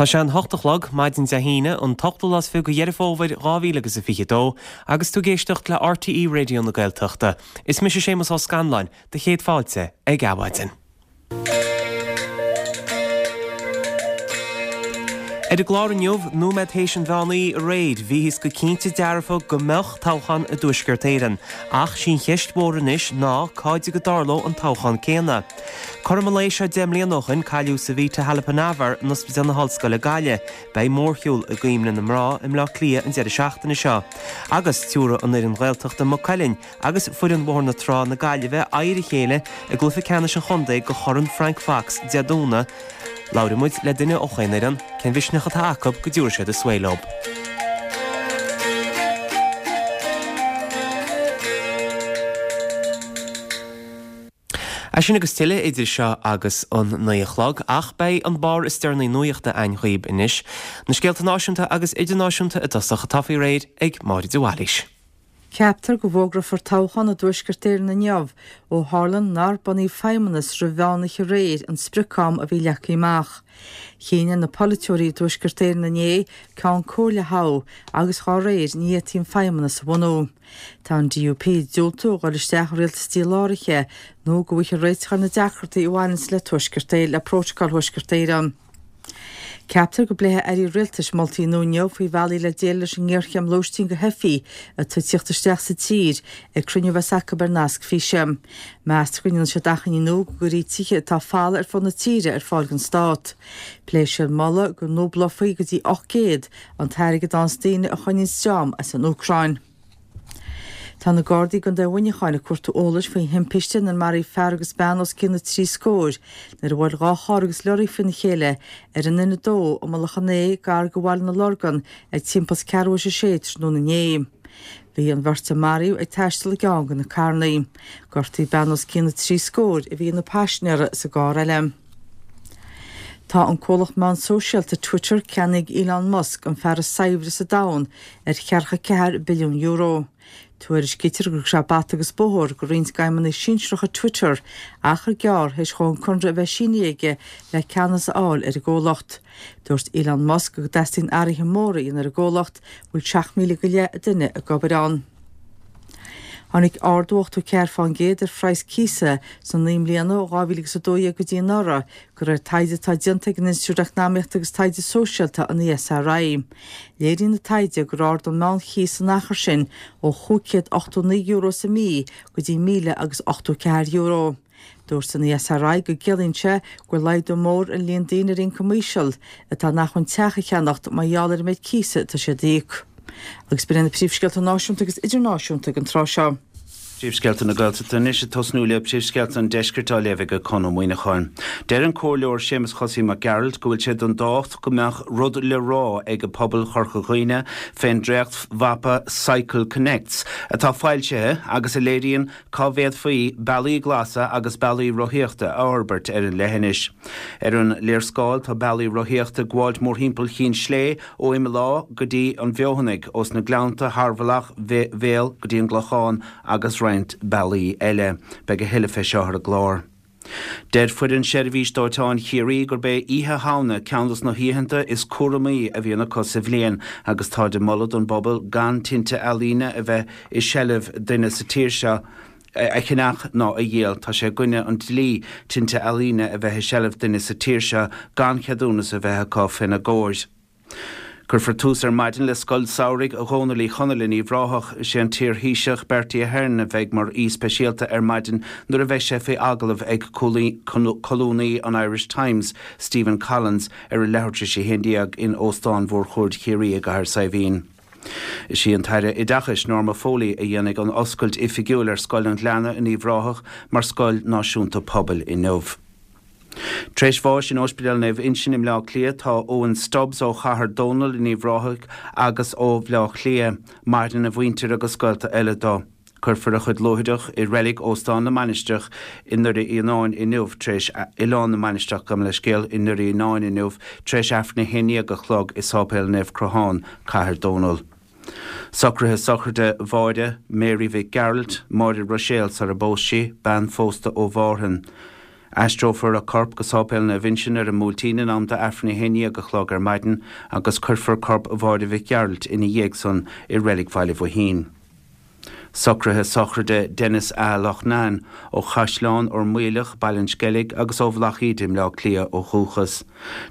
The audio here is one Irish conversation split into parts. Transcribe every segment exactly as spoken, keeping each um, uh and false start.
Tá sé an hocht a chlog maidin Dé hAoine an t-ochtú lá is fiche de Dheireadh Fómhair dhá mhíle agus a fiche dó agus tú ag éisteacht le RTÉ Raidió na Gaeltachta. Is mise Séamus Ó Scanláin, do chéad fáilte ag Adhmhaidin. Ar an gclár inniu, nóiméad théis an mheán oíche aréir, bhíothas go cinnte dearfa go mbeadh toghchán i dTuaisceart Éireann. Ach sí an cheist mhór anois ná cá dtig a dtarlódh an toghchán céanna. Cothrom an lae seo deich mbliana ó shin, cailleadh Savita Halappanavar in Ospidéal na hOllscoile Gaillimh. Beidh mórshiúl i gcuimhne na mná i mBleá Cliath an deireadh seachtaine seo. Agus tiúrfaidh an fhoireann Ghaeltachta Maigh Cuilinn agus foireann Bhóthar na Trá na Gaillimhe aghaidh ar a chéile i gcluiche ceannais an chontae do Chorn Frank Fox Dé Domhnaigh. Labhróidh muid le duine ó chaon fhoireann, cén mhisneach atá acu go dtiúrfaidh siad a svae leo. É sin agus tuilleadh idir seo agus an naoi a chlog, ach beidh an barr is deireanaí nuachta againn dhaoib anois. Na scéalta náisiúnta agus idirnáisiúnta i dtosach atá faoi réir ag Máire de Bhailís. Ceaptar go bhfógrófar toghchán i dTuaisceart Éireann inniu, ó tharla nár bunaíodh feidhmeannas roimh mheán oíche aréir, an sprioc-am a bhí leagtha amach. Chinn ar na polaiteoirí i dTuaisceart Éireann inné Ceann Comhairle a thoghadh agus dhá réir ní fhéadfaí an feidhmeannas a bhunú. Tá an DUP ag diúltú a dhul isteach i rialtas díláraithe nó go bhfaighfear réiteach ar na deacrachtaí a bhaineanns le Tuaisceart Éireann le Prótacal Thuaisceart Éireann. Ceaptar go bpléifidh airí rialtais moltaí nua inniu faoi bhealaí le déileáil leis an ngéarchéim lóistín do theifigh atá ag tíocht isteach sa tír ag cruinniú a bheas acu ar nasc físe. Meastar go ndéanfaidh siad achainí nua go gcuirfí tithe atá folamh ar fud na tíre ar fáil don stát. Pléifidh siad moladh go ndúblófaí go dtí ocht gcéad an t-airgead a fhaigheanns daoine a choinníonns dream as an Úcráin. Tá na Gardaí i gContae Mhuineacháin ag cuartú eolais faoi thimpiste inar maraíodh fear agus bean os cionn na trí scóir nuair a bhuail dhá charr agus leoraí faoina chéile ar an N a dó i Mullach an Ae gar do Bhaile na Lorgan ag timpeall is ceathrú théis a sé tráthnóna inné. Bhí an bheirt a maraíodh ag taisteal i gceann de na carrannaí. Gortaíodh bean os cionn na trí scóir a bhí ina paisinéara sa gcarr eile. Tá an comhlacht meán sóisialta Twitter ceannaithe ag Elon Musk, an fear is saibhre sa domhan, ar cheathracha ceathair billiún euro. Tuairiscítear gur thug sé bata agus bóthar do roinnt d'fheidhmeannaigh sinsearacha Twitter achar gearr théis dhó an conradh a bheith sínithe aige le ceannas a fháil ar an gcomhlacht. Dúirt Elon Musk go dteastaíonn athruithe móra a dhéanamh ar an gcomhlacht, a bhfuil seacht míle go leith duine ag obair ann. Tháinig ardú ochtó ceathair fán gcéad ar phraghas cíosa sna naoi mbliana ó dhá mhíle agus a dó dhéag go dtí anuraidh, de réir taighde atá déanta ag an Institiúid Eacnamaíochta agus Taighde Sóisialta, an ESRI. Léiríonn an taighde gur ard an meánchíos san achar sin ó chúig chéad ochtó naoi euro sa mhí go dtí míle agus ochtó ceathair euro. Dúirt an ESRI go gciallaíonn sé go bhfuil laghdú mór ar an líon daoine ar ioncam íseal atá in acmhainn teach a cheannacht mar gheall ar an méid cíosa atá siad a íoc. Agus b'in iad na príomhscéalta náisiúnta agus idirnáisiúnta ag an tráth seo. Príomhscéalta na Gaeltachta anois ag tosnú le príomhscéalta an Deiscirt á léamh ag Conn Ó Muíneacháin. Deir an Comhairleoir Séamus Chosaí Mac Gearailt go bhfuil sé den tábhacht go mbeadh rud le rá ag pobal Chorca Dhuibhne fén dréacht-mhapa Cycle Connects atá foilsithe agus a léiríonn cá bhféadfaí bealaí glasa agus bealaí rothaíochta a fhorbairt ar an leithinis. Ar an léarscáil tá bealaí rothaíochta ag gabháilt mórthimpeall Chinn Slé ó Imeall Átha go dtí an Fheothanaigh, ós na Gleannta thar Mhullach Bhéal go dtí an gClochán agus roinnt bealaí eile. Beidh a thuilleadh fé seo ar an gclár. Deir foireann Seirbhís Dóiteáin Chiarraí gurb é Oíche Shamhna ceann dos na hoícheanta is cúramaí a bhíonn acu sa bhliain agus táid ag moladh don bpobal gan tinte ealaíne a bheith i seilbh duine sa tír seo a cheannach ná a dhíol. Tá sé i gcoinne an dlí tinte ealaíne a bheith i seilbh duine sa tír seo gan cheadúnas a bheith acu féna gcomhair. Cuirfear tús ar maidin le Scoil Samhraidh Dhónaill Uí Chonaill in Uíbh Ráthach. Is é an t-iar-Thaoiseach Bertie Ahern a bheidh mar aoi speisialta ar maidin nuair a bheidh sé faoi agallamh ag colúnaí an Irish Times, Stephen Collins, ar a leathuair tar éis a haon déag in Óstán Mhórchuaird Chiarraí i gCathair Saidhbhín. Is í an tAire Oideachais, Norma Foley, a dhéanfaidh an oscailt oifigiúil ar Scoil an Ghleanna in Uíbh Ráthach mar scoil náisiúnta pobail inniu. Tar éis bháis in Ospidéal Naomh Uinseann i mBleá Cliath tá Owen Stubbs ó Chathair Dónall in Uíbh Ráthaigh agus ó Bhleá Cliath. Maireann a mhuintir agus gaolta eile dó. Cuirfear a chuid luaithreach i reilig Óstán na Mainistreach i nDoire Fhíonáin inniu tar éis Oileán na Mainistreach, gabh mo leithscéal, i nDoire Fhíonáin inniu tar éis Aifreann a haon déag a chlog i Sáipéal Naomh Crothán, Cathair Dónall. Socruithe sochraide Mháire Mary Mhic Gearailt, Máire Ruiséal sara bpós sí, bean phósta ó Mhárthain. Aistreofar a corp go Sáipéal Naomh Uinseann ar an mBuailtín in am d'Aifreann a haon déag a chlog ar maidin agus cuirfear corp Mháire Mhic Gearailt ina dhiaidh san i Reilig Bhaile Bhoithín. Socruithe sochraide Denis A. Loughnane ó Chaisleán Ord Mhaoileach, Baile an Sceilg agus ó Bhealach Íde i mBleá Cliath ó dhúchas.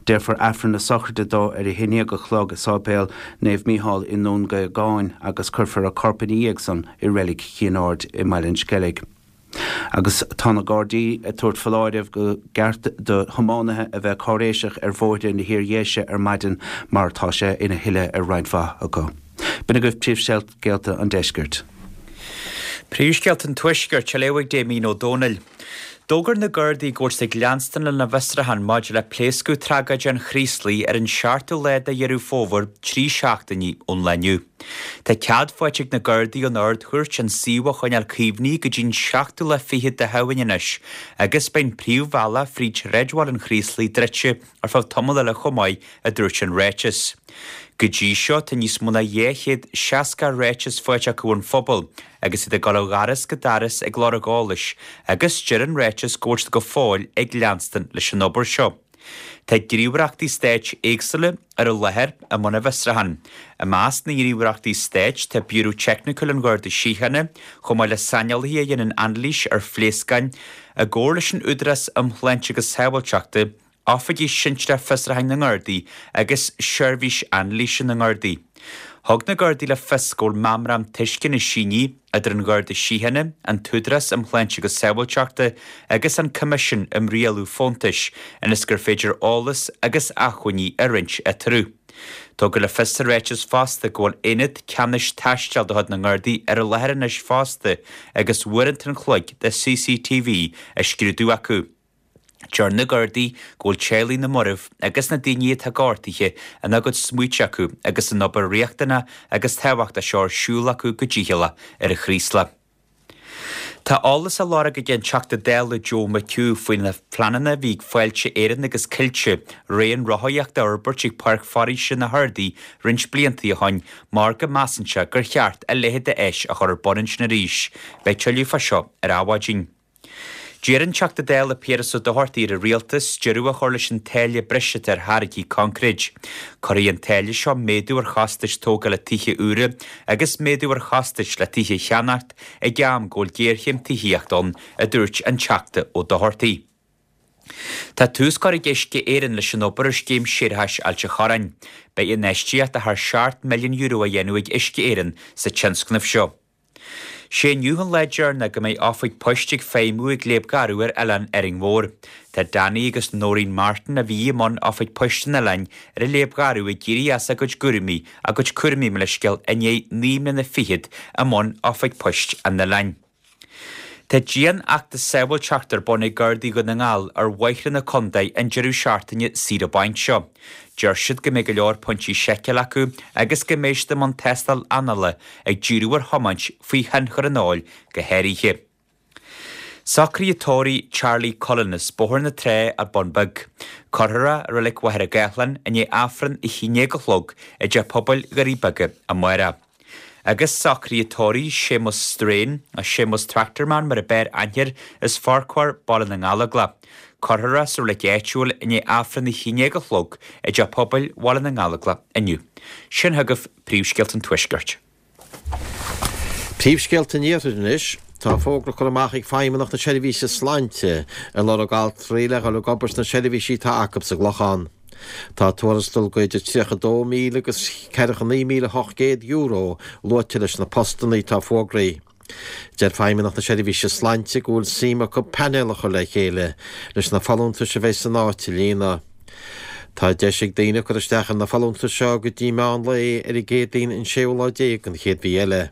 Déarfar Aifreann na sochraide dó ar a haon déag a chlog i Sáipéal Naomh Mícheál i nDún Géagáin agus cuirfear a corp ina dhiaidh san i Reilig Chinn Aird i mBaile an Sceilg. Agus tá na Gardaí ag tabhairt foláireamh go gceart do thiománaithe a bheith cáiréiseach ar bhóithre na hIardhéise ar maidin mar tá sé ina thuile ar roinnt mhaith acu. B'in agaibh príomhscéalta an deiscirt. Príomhscéalta an Tuaiscirt á léamh ag Damien Ó Dónaill. D'fhógair na Gardaí go bhfuil siad ag leanstan lena bhfiosrúchán maidir le pléascadh tragóideach an Chraoslaigh ar an seachtú lá de Dheireadh Fómhair, trí seachtainí ón lá inniu. Tá cead faighte ag na Gardaí ón Ard-Chúirt an suíomh a choinneáil caomhnaithe go dtí an seachtú lá fichead de Shamhain anois agus beidh an príomhbhealach fríd shráidbhaile an Chraoslaigh druidte ar feadh tamall eile chomh maith, a dúirt an ráiteas. Go dtí seo tá níos mó ná dhá chéad seasca ráiteas faighte acu ón phobal agus iad ag dul ó dhoras go doras ag lorg eolais agus deir an ráiteas go bhfuil siad go fóill ag leanstan leis an obair seo. Tá gníomhaireachtaí stáit éagsúla ar an láthair i mbun an bhfiosrúcháin. I measc na ngníomhaireachtaí stáit tá Biúró Teicniúil an Gharda Síochána, chomh maith le saineolaithe a dhéanann anailís ar phléascáin, i gcomhar leis an Údarás um Shláinte agus Sábháilteachta, Oifigigh Sinsearach Fiosrúcháin na nGardaí agus Seirbhís Anailíse na nGardaí. Thug na Gardaí le fios go bhfuil meamram tuisceana sínithe idir an Gharda Síochána, an tÚdarás um Shláinte agus Sábháilteachta agus an Coimisiún um Rialú Fóntais ionas gur féidir eolas agus acmhainní a roinnt eatarthu. Tugadh le fios sa ráiteas fosta go bhfuil aonad ceannais taistil de chuid na nGardaí ar an láthair anois fosta agus uaireanta an chloig de C C T V á scrúdú acu. Deir na Gardaí go bhfuil teaghlaigh na marbh agus na daoine atá gortaithe ina gcuid smaointe acu agus an obair riachtanach agus tábhachtach seo ar siúl acu go dícheallach ar an Chraoslach. Tá eolas á lorg ag an Teachta Dála Joe McHugh faoi na pleananna a bhí ag Fáilte Éireann agus Coillte raon rothaíochta a fhorbairt ag Páirc Foraoise na hArdaí roinnt blianta ó shin mar go measann sé gur cheart a leithéid de áis a chur ar bun ansin arís. Beidh tuilleadh fá seo ar Adhmhaidin. D'iarr an Teachta Dála Piaras Ó Dochartaigh ar an rialtas deireadh a chur leis an táille breise ar tháirgí coincréid. Cuirfidh an táille seo méadú ar chostais tógála tithe úra agus méadú ar chostais le tithe a cheannacht ag am go bhfuil géarchéim tithíochta ann, a dúirt an Teachta Ó Dochartaigh. Tá tús curtha ag Uisce Éireann leis an obair ar scéim séarachais Ailt an Chorráin. Beidh infheistíocht de thar seacht milliún euro á dhéanamh ag Uisce Éireann sa tionscnamh seo. Sé inniu an lá deireanach go mbeidh oifig poist ag feidhmiú ag Léab Garbh ar Oileán Árainn Mhór. Tá Danny agus Noreen Martin a bhí i mbun oifig poist an oileáin ar an Léab Gharbh ag éirí as a gcuid cúraimí a gcuid cúraimí mo leithscéal i ndiaidh naoi mbliana fichead i mbun oifig poist an oileáin. Tá dianfheachtas sábháilteachta ar bun ag Gardaí Dhún na nGall ar bhóithre na contae an deireadh seachtaine saoire bainc seo. Deir siad go mbeidh go leor pointí seiceála acu agus go mbeidh siad i mbun tástáil anála ag díriú ar thiomáint faoi thionchar an óil go háirithe. Socruithe tórraimh Charlie Cullen as Bóthar na Trá ar Bun Beag. Cuirfear é i Reilig Mhachaire Gathlán i ndiaidh Aifreann a haon déag a chlog i dTeach Pobail Dhoirí Beaga amárach. Agus socruithe tórraimh Séamus Strain, a Séamus Tractorman mar ab fhearr aithne air as Farquhar Baile na nGallóglach. Cuirfear é sa reilig áitiúil i ndiaidh Aifreann a haon déag a chlog i dTeach Pobail Bhaile na nGallóglach inniu. Sin chugaibh príomhscéalta an Tuaiscirt. Príomhscéalta an Iarthair anois. Tá fógra curtha amach ag Feidhmeannacht na Seirbhíse Sláinte ag lorg altraí le dhul ag obair sna seirbhísí atá acu sa gClochán. Tá tuarastal go idir tríocha dó míle agus ceathracha naoi míle ocht gcéad euro luaite leis na postanna atá fógraithe. Deir Feidhmeannacht na Seirbhíse Sláinte go bhfuil suim acu painéal a chur le chéile leis na folúntais a bheidh san áit a líonadh. Tá deis ag daoine cur isteach ar na folúntais seo go dtí meán lae ar an gCéadaoin an séú lá déag den chéad mhí eile.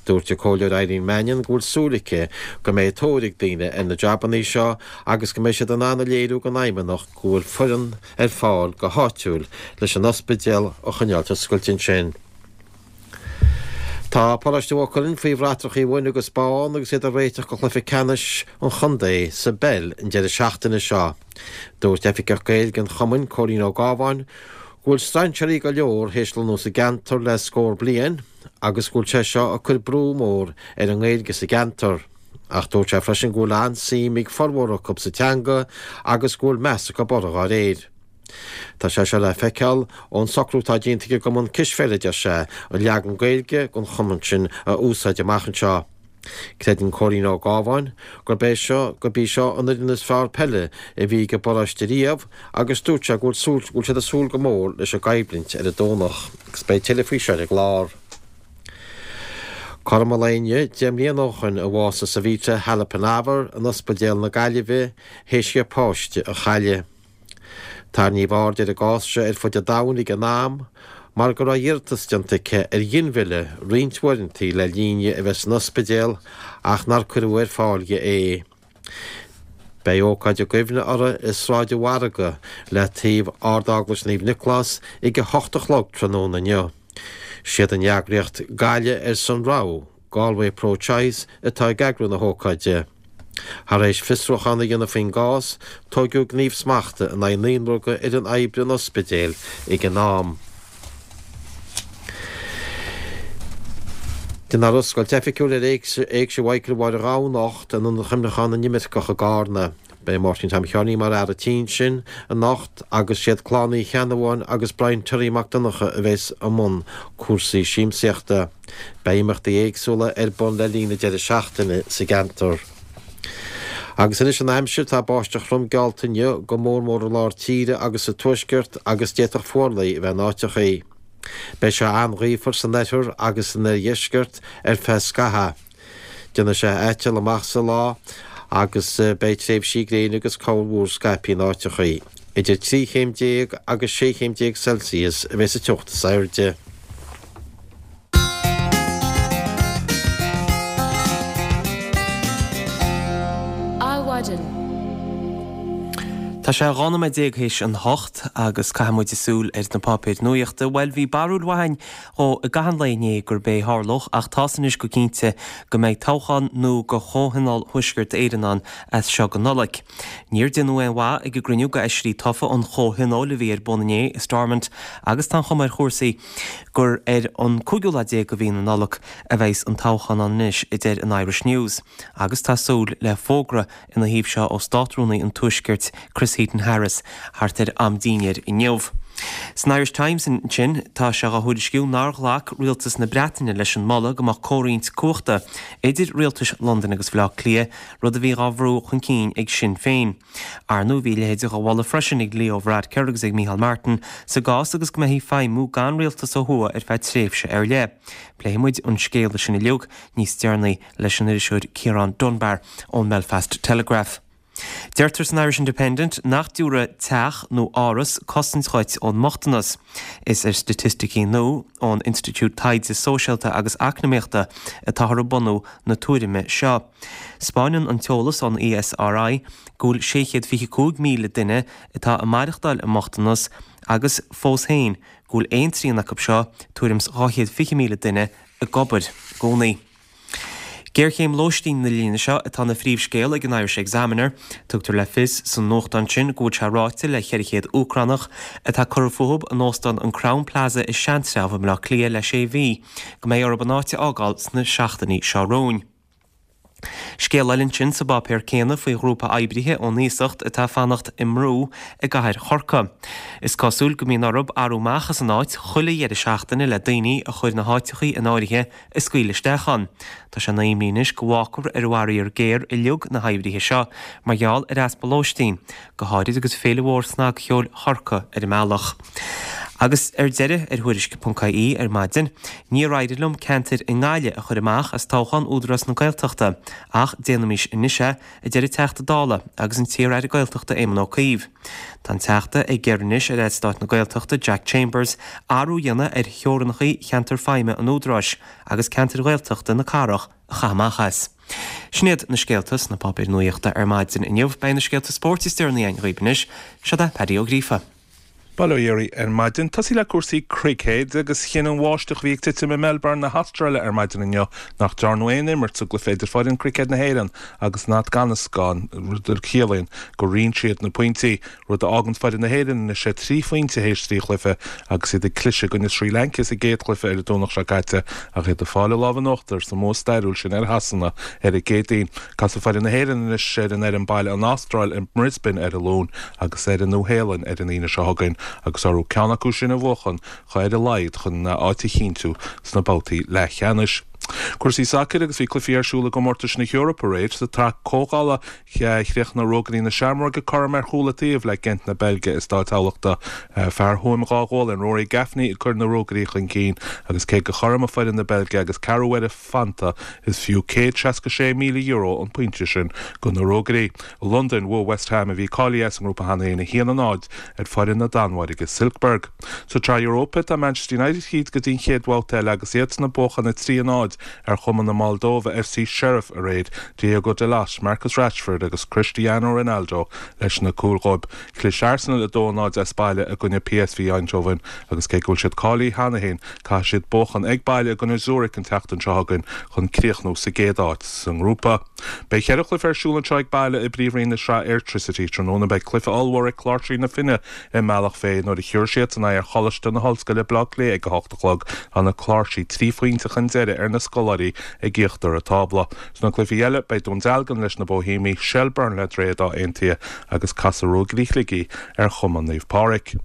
Dúirt an Comhairleoir Eileen Mannion go bhfuil súil aici go mbeidh tóir ag daoine ar na jabanna seo agus go mbeidh siad in ann a léiriú don Fheidhmeannacht go bhfuil foireann ar fáil go háitiúil leis an ospidéal a choinneáil oscailte ansin. Tá Paróiste Mhaigh Cuilinn faoi bhratrachaí bhuí agus bán agus iad ag réiteach do chluiche ceannais an chontae sa bpeil an deireadh seachtaine seo. Dúirt Oifigeach Gaeilge an Chumainn Cóilín Ó Gábháin go bhfuil strainséirí go leor théis lonnú sa gceantar le scór bliain agus go bhfuil sé seo ag cur brú mór ar an nGaeilge sa gceantar. Ach dúirt sé freisin go bhfuil an-suim ag formhór acu sa teanga agus go bhfuil meas acu uirthi dá réir. Tá sé seo le feiceáil ón socrú atá déanta ag an gcumann cispheile, a deir sé, an leagan Gaeilge den chumann sin a úsáid amach anseo. Creideann Cóilín Ó Gábháin gurb é seo gurb í seo an fhoireann is fearr peile a bhí ag an bparóiste riamh agus dúirt sé go bhfuil súil go bhfuil siad ag súil go mór leis an gcoimhlint ar an Domhnach agus beidh tuilleadh faoi seo ar an gclár. Cothrom an lae inniu deich mbliana ó shoin a bhásaigh Savita Halappanavar in Ospidéal na Gaillimhe théis di a páiste a chailleadh. Tarraingíodh aird ar an gcás seo ar fud an domhain ag an am mar go raibh iarratas déanta aici ar ghinmhilleadh roinnt uaireanta le linn di a bheith san ospidéal ach nár cuireadh ar fáil di é. Beidh ócáid i gcuimhne uirthi i Sráid an Mhargaidh le taobh Ard-Eaglais Naomh Nioclás ag a hocht a chlog tráthnóna inniu. Siad an eagraíocht Gaillimh ar son Rogha, Galway Pro Choice, atá ag eagrú na hócáide. Thar éis fiosrúchán a dhéanamh faoin gcás, tóigeadh gníomh smachta in aghaidh naonúr d'fhoireann oibre an ospidéil ag an am. Déanfar oscailt oifigiúil ar Éigse Mhichael Mháire Ghabha anocht in Ionad Chuimhneacháin na nImirceach i gCarna. Beidh Máirtín Tom Sheáinín mar fhear an tí ansin anocht agus siad Clann Uí Cheannabháin agus Brian Terry Mac Donncha a bheas i mbun cúrsaí siamsaíochta. Beidh imeachtaí éagsúla ar bun le linn an deireadh seachtaine sa gceantar. Agus anois an aimsir, tá báisteach throm geallta inniu, go mór mór i lár tíre agus sa tuaisceart agus d'fhéadfadh fuarlaigh a bheith in áiteachaí. Beidh sé an-ghaofar san oirthear agus san oirdheisceart ar feadh scaithimh. Déanfaidh sé aiteal amach sa lá agus beidh tréimhsí gréine agus corrmhúr scaipthe in áiteachaí. Idir trí chéim déag agus sé chéim déag Celsius a bheidh sa teocht is airde. Adhmhaidin. Tá sé dhá nóiméad déag théis an hocht agus caithfidh muid súil ar na páipéir nuachta. Bhuel, bhí barúil mhaith againn dhó i gcaitheamh an lae inné gurb é a tharlódh ach tá's anois go cinnte go mbeidh toghchán nua do Chomhthionól Thuaisceart Éireann ann as seo go Nollaig. Níor déanadh aon mhaith ag an gcruinniú de fheisirí tofa an Chomhthionóil a bhí ar bun inné i Stormont agus tá an chuma ar chúrsaí gur ar an cúigiú lá déag de mhí na Nollag a bheas an toghchán ann anois, a deir an Irish News. Agus tá súil le fógra ina thaobh seo ó Státrúnaí an Tuaiscirt, Chris Heaton-Harris, thart ar am dinnéir inniu. San Irish Times ansin, tá sé á thuairisciú nár ghlac rialtas na Breataine leis an moladh go mbeadh comhroinnt cumhachta idir rialtais Londain agus Bhaile Átha Cliath, rud a bhí á bhrú chun cinn ag Sinn Féin. Ar ndóigh, bhí a leithéid á mholadh freisin ag Leo Varadkar agus ag Micheál Martin sa gcás agus go mbeifí ag feidhmiú gan rialtas ó thuaidh ar feadh tréimhse ar leith. Pléifidh muid an scéal sin uilig níos deireanaí leis an iriseoir Ciarán Dunbar ón mBelfast Telegraph. Deirtear san Irish Independent nach dtabharfaidh teach nó áras cosaint dhuit ón mbochtanas. Is ar staitisticí nua ón Institiúid Taighde Sóisialta agus Eacnamaíochta atáthar ag bunú na tuairime seo. 'Spáineann an t-eolas ón E S R I go bhfuil sé chéad fiche cúig míle duine atá ag maireachtáil i mbochtanas agus fós féin go bhfuil aon trian acu seo, tuairim 's dhá chéad fiche míle duine, ag obair i gcónaí. Géarchéim lóistín na linne seo atá ina phríomhscéal ag an Irish Examiner. Tugtar le fios san nuachtán sin go bhfuil sé ráite le ceithre chéad Úcránach atá curtha fúthu in óstán an Crowne Plaza i Seantrabh i mBaile Átha Cliath le sé mhí go mbeidh orthu an áit a fhágáil sna seachtainí seo romhainn. Scéal eile ansin sa bpáipéar céanna faoi ghrúpa oibrithe ón iasacht atá ag fanacht i mbrú i gcathair Chorcaí. Is cosúil go mbíonn orthu athrú amach as an áit chuile dheireadh seachtaine le daoine a chuir na háiteachaí in áirithe a scaoileadh isteach ann. Tá sé ina imní anois go bhfágfar ar an bhfaraor géar uilig na hoibrithe seo mar gheall ar easpa lóistín, go háirid agus féile mhór snagcheoil Chorcaí ar an mbealach. Agus ar deireadh, ar Thuairisc ponc I E ar maidin, níor éirigh liom ceantair i nGaillimh a chur amach as toghchán Údarás na Gaeltachta, ach déanaimis anois é, a deir an Teachta Dála agus an t-iar-aire Gaeltachta Éamon Ó Cuív. Tá an Teachta ag iarraidh anois ar Aire Stáit na Gaeltachta Jack Chambers athrú a dhéanamh ar theorainneacha cheantar feidhme an Údaráis agus ceantair Ghaeltachta na cathrach a chaitheamh amach as. Sin iad na scéalta sna páipéir nuachta ar maidin inniu. Beidh na scéalta spóirt is deireanaí againn dhaoibh anois. Seo é Paddy Ó Gríofa. Bail ó Dhia oraibh ar maidin. Tosaí le cúrsaí cruicéid agus chinn an bháisteach a bhí ag titim i Melbourne na hAstráile ar maidin inniu nach ndearnadh aon imirt sa gcluiche idir foireann cruicéid na hÉireann agus an Afganastáin, rud a chiallaíonn gur roinn siad na pointí, rud a fhágann foireann na hÉireann anois ar trí phointe théis trí chluiche agus iad ag cliseadh i gcoinne Srí Lanca sa gcéad chluiche ar an Domhnach seo caite ach iad ag fáil a lámh in uachtar sa mbua stairiúil sin ar Shasana ar an gCéadaoin. Casfaidh foireann na hÉireann anois ar an fhoireann baile an Astráil i mBrisbane ar an Luan agus ar an Nua-Shéalainn ar an Aoine seo chugainn agus orthu ceann acu sin a bhuachan ar a laghad chun áit a chinntiú sna babhtaí leathcheannais. Cúrsaí sacair agus bhí cluichí ar siúl i gcomórtais na hEorpa aréir. Sa tsraith comhdhála chríochnaigh Rógairí na Seamróige cothrom ar chúl an taobh le Gent na Beilge i Stáid Thamhlachta. Fear Thuaim Dhá Ghualainn, Rory Gaffney ag cur na Rógairí chun cinn agus cé gur chothromaigh foireann na Beilge agus ceathrú uaire fanta is fiú céad seasca sé míle euro an pointe sin do na Rógairí. I Londain, bhuaigh West Ham, a bhí cáilithe as an ngrúpa cheana féin, a haon a náid ar foireann na Danmhairge, Silkeborg. Sa tSraith Europa, tá Manchester United tríd go dtí an chéad bhabhta eile agus iadsan ag buachan a trí a náid ar chumann na Moldóive F C Sheriff aréir, Diogo Dalot, Marcus Rashford agus Cristiano Ronaldo leis na cúil dhóibh. Chlis Arsenal a dó a náid as baile i gcoinne P S V Eindhoven agus cé go bhfuil siad cáilithe cheana féin, caithfidh siad buachan ag baile i gcoinne Zurich an tseachtain seo chugainn chun críochnú sa gcéad áit sa ngrúpa. Beidh ceithre chluiche ar siúl anseo ag baile i bPríomhroinn na Sraithe Airtricity tráthnóna. Beidh cluiche ollmhór ag Cláirsigh na Finne i mBealach Féich nuair a thiúrfaidh siadsan aghaidh ar Choláiste na hOllscoile Baile Átha Cliath ag a hocht a chlog. Tá na Cláirsigh trí phointe chun deiridh ar na scoláirí ag íochtar an tábla. Sna cluichí eile beidh Dún Dealgan leis na Boihéamaigh, Shelbourne le Droichead Átha Aontaithe agus casfaidh Ruagairí Shligigh ar Chumann Naomh Pádraig.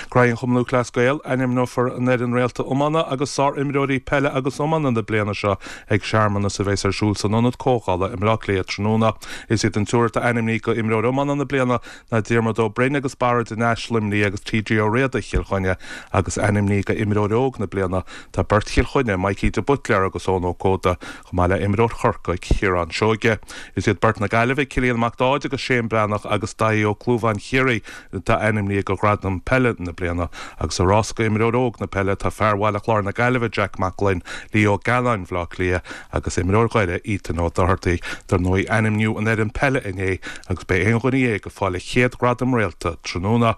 Graí an Chumann Lúthchleas Gael, ainmneofar an fhoireann réalta iomána agus sár-imreoirí peile agus iomána na bliana seo ag searmanas a bheas ar siúl san Ionad Comhdhála i mBleá Cliath tráthnóna. Is iad an triúr atá ainmnithe go imreoir iomána na bliana ná Diarmuid Ó Broin agus Barra de Nais Luimnigh agus T J Ó Riada Chill Chainnigh agus ainmnithe go imreoir óg na bliana tá beirt Chill Chainnigh, Mikey de Buitléar agus Eoin Ó Códa, chomh maith le imreoir Chorcaí Ciarán Seoige. Is iad beirt na Gaillimhe, Cillian Mac Dáid agus Shane Breathnach agus Daithí Ó Clúmháin Chiarraí atá ainmnithe go ghradam peile na bliana agus sa rás go imreoir óg na peile tá fear Bhaile Chláir na Gaillimhe Jack Mac Gloinn, Leo Galláin Bhaile Átha Cliath agus imreoir Dhoire Ethan Ó Doherty. Dar ndóigh ainmníodh an fhoireann peile inné agus beidh aon dhuine dhéag ag fáil a chéad ghradam réalta tráthnóna.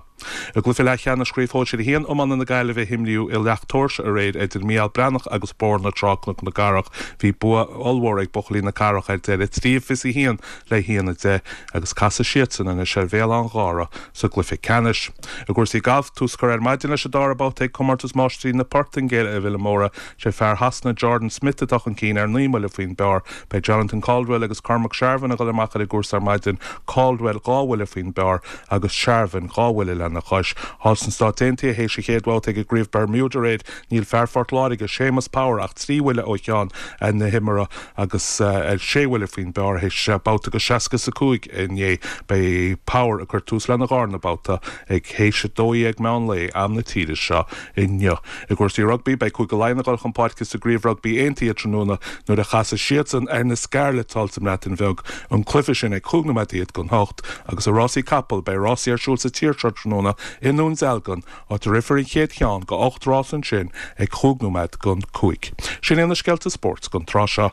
I gcluiche leathcheannais Chraobh Shóisir a haon iomána na Gaillimhe a himríodh i Leacht Tóirse aréir idir Mícheál Breathnach agus Bóthar na Trá Cnoc na gCarrach. Bhí bua ollmhór ag buachaillí na Cathrach ar deireadh trí fiche a haon le haon a deich agus casfaidh siadsan anois ar Bhéal an Ghára sa gcluiche ceannais. I gcúrsaí gailf tús curtha ar maidin leis an dara babhta ag comórtas máistrí na Portaingéile i Vilamoura sé fear Shasana Jordan Smith atá chun cinn ar naoi mbuille faoin bpar. Beidh Jonathan Caldwell agus Cormac Sharvin ag dul amach ar an gcúrsa ar maidin Caldwell dhá bhuille faoin bpar agus Sharvin dhá bhuille lena chois. Thall sna Stáit Aontaithe théis an chéad bhabhta ag an gCraobh Bermuda aréir níl fear Phort Láirge Séamus Power ach trí bhuille ó cheann na himeartha agus ar sé bhuille faoin bpar théis babhta go seasca a cúig inné beidh Power ag cur tús lena dhara babhta ag théis a dó dhéag meán lae am na tíre seo inniu. I gcúrsaí rugbaí beidh Cúige Laighean ag dul chun páirce sa gCraobh Rugbaí Aontaithe tráthnóna nuair a chasfaidh siadsan ar na Scarlets thall sa mBreatain Bheag an cluiche sin ag cúig nóiméad don hocht agus i rásaí capall beidh rásaí ar siúl sa tír seo tráthnóna i nDún Dealgan áit a rithfear an chéad cheann go ocht rás ansin ag cúig nóiméad don cúig. Sin é na scéalta spóirt don tráth seo.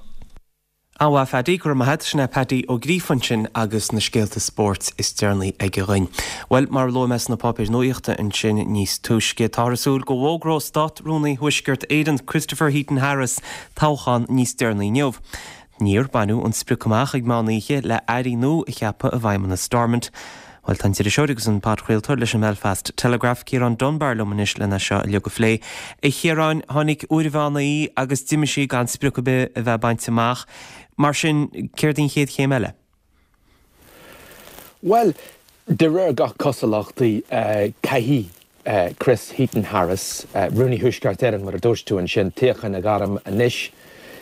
An-mhaith Phaddy go maith sin é Paddy Ó Gríofa ansin agus na scéalta spóirt is deireanaí aige dhúinn. Well mar a luaigh mé sna páipéir nuachta ansin níos túisce tá súil go bhfógróidh Státrúnaí Thuaisceart Éireann Christopher Heaton Harris toghchán níos deireanaí inniu. Níor baineadh an sprioc amach ag meán oíche le airí nua a cheapadh i bhFeidhmeannas Stormont. Well tá an t-iriseoir agus an podchraoltóir leis an Belfast Telegraph Ciarán Dunbar liom anois lena seo a le go phlé. A Chiaráin tháinig uair an mheán oíche agus d'imigh sí gan sprioc ar bith a bheith bainte amach. Mar sin céard an chéad chéim eile? Well, de réir gach cosúlachta uh, caithfidh uh, Chris Heaton Harris, uh, Rúnaí Thuaisceart Éireann mar a dúirt tú ansin toghchán a ghairm anois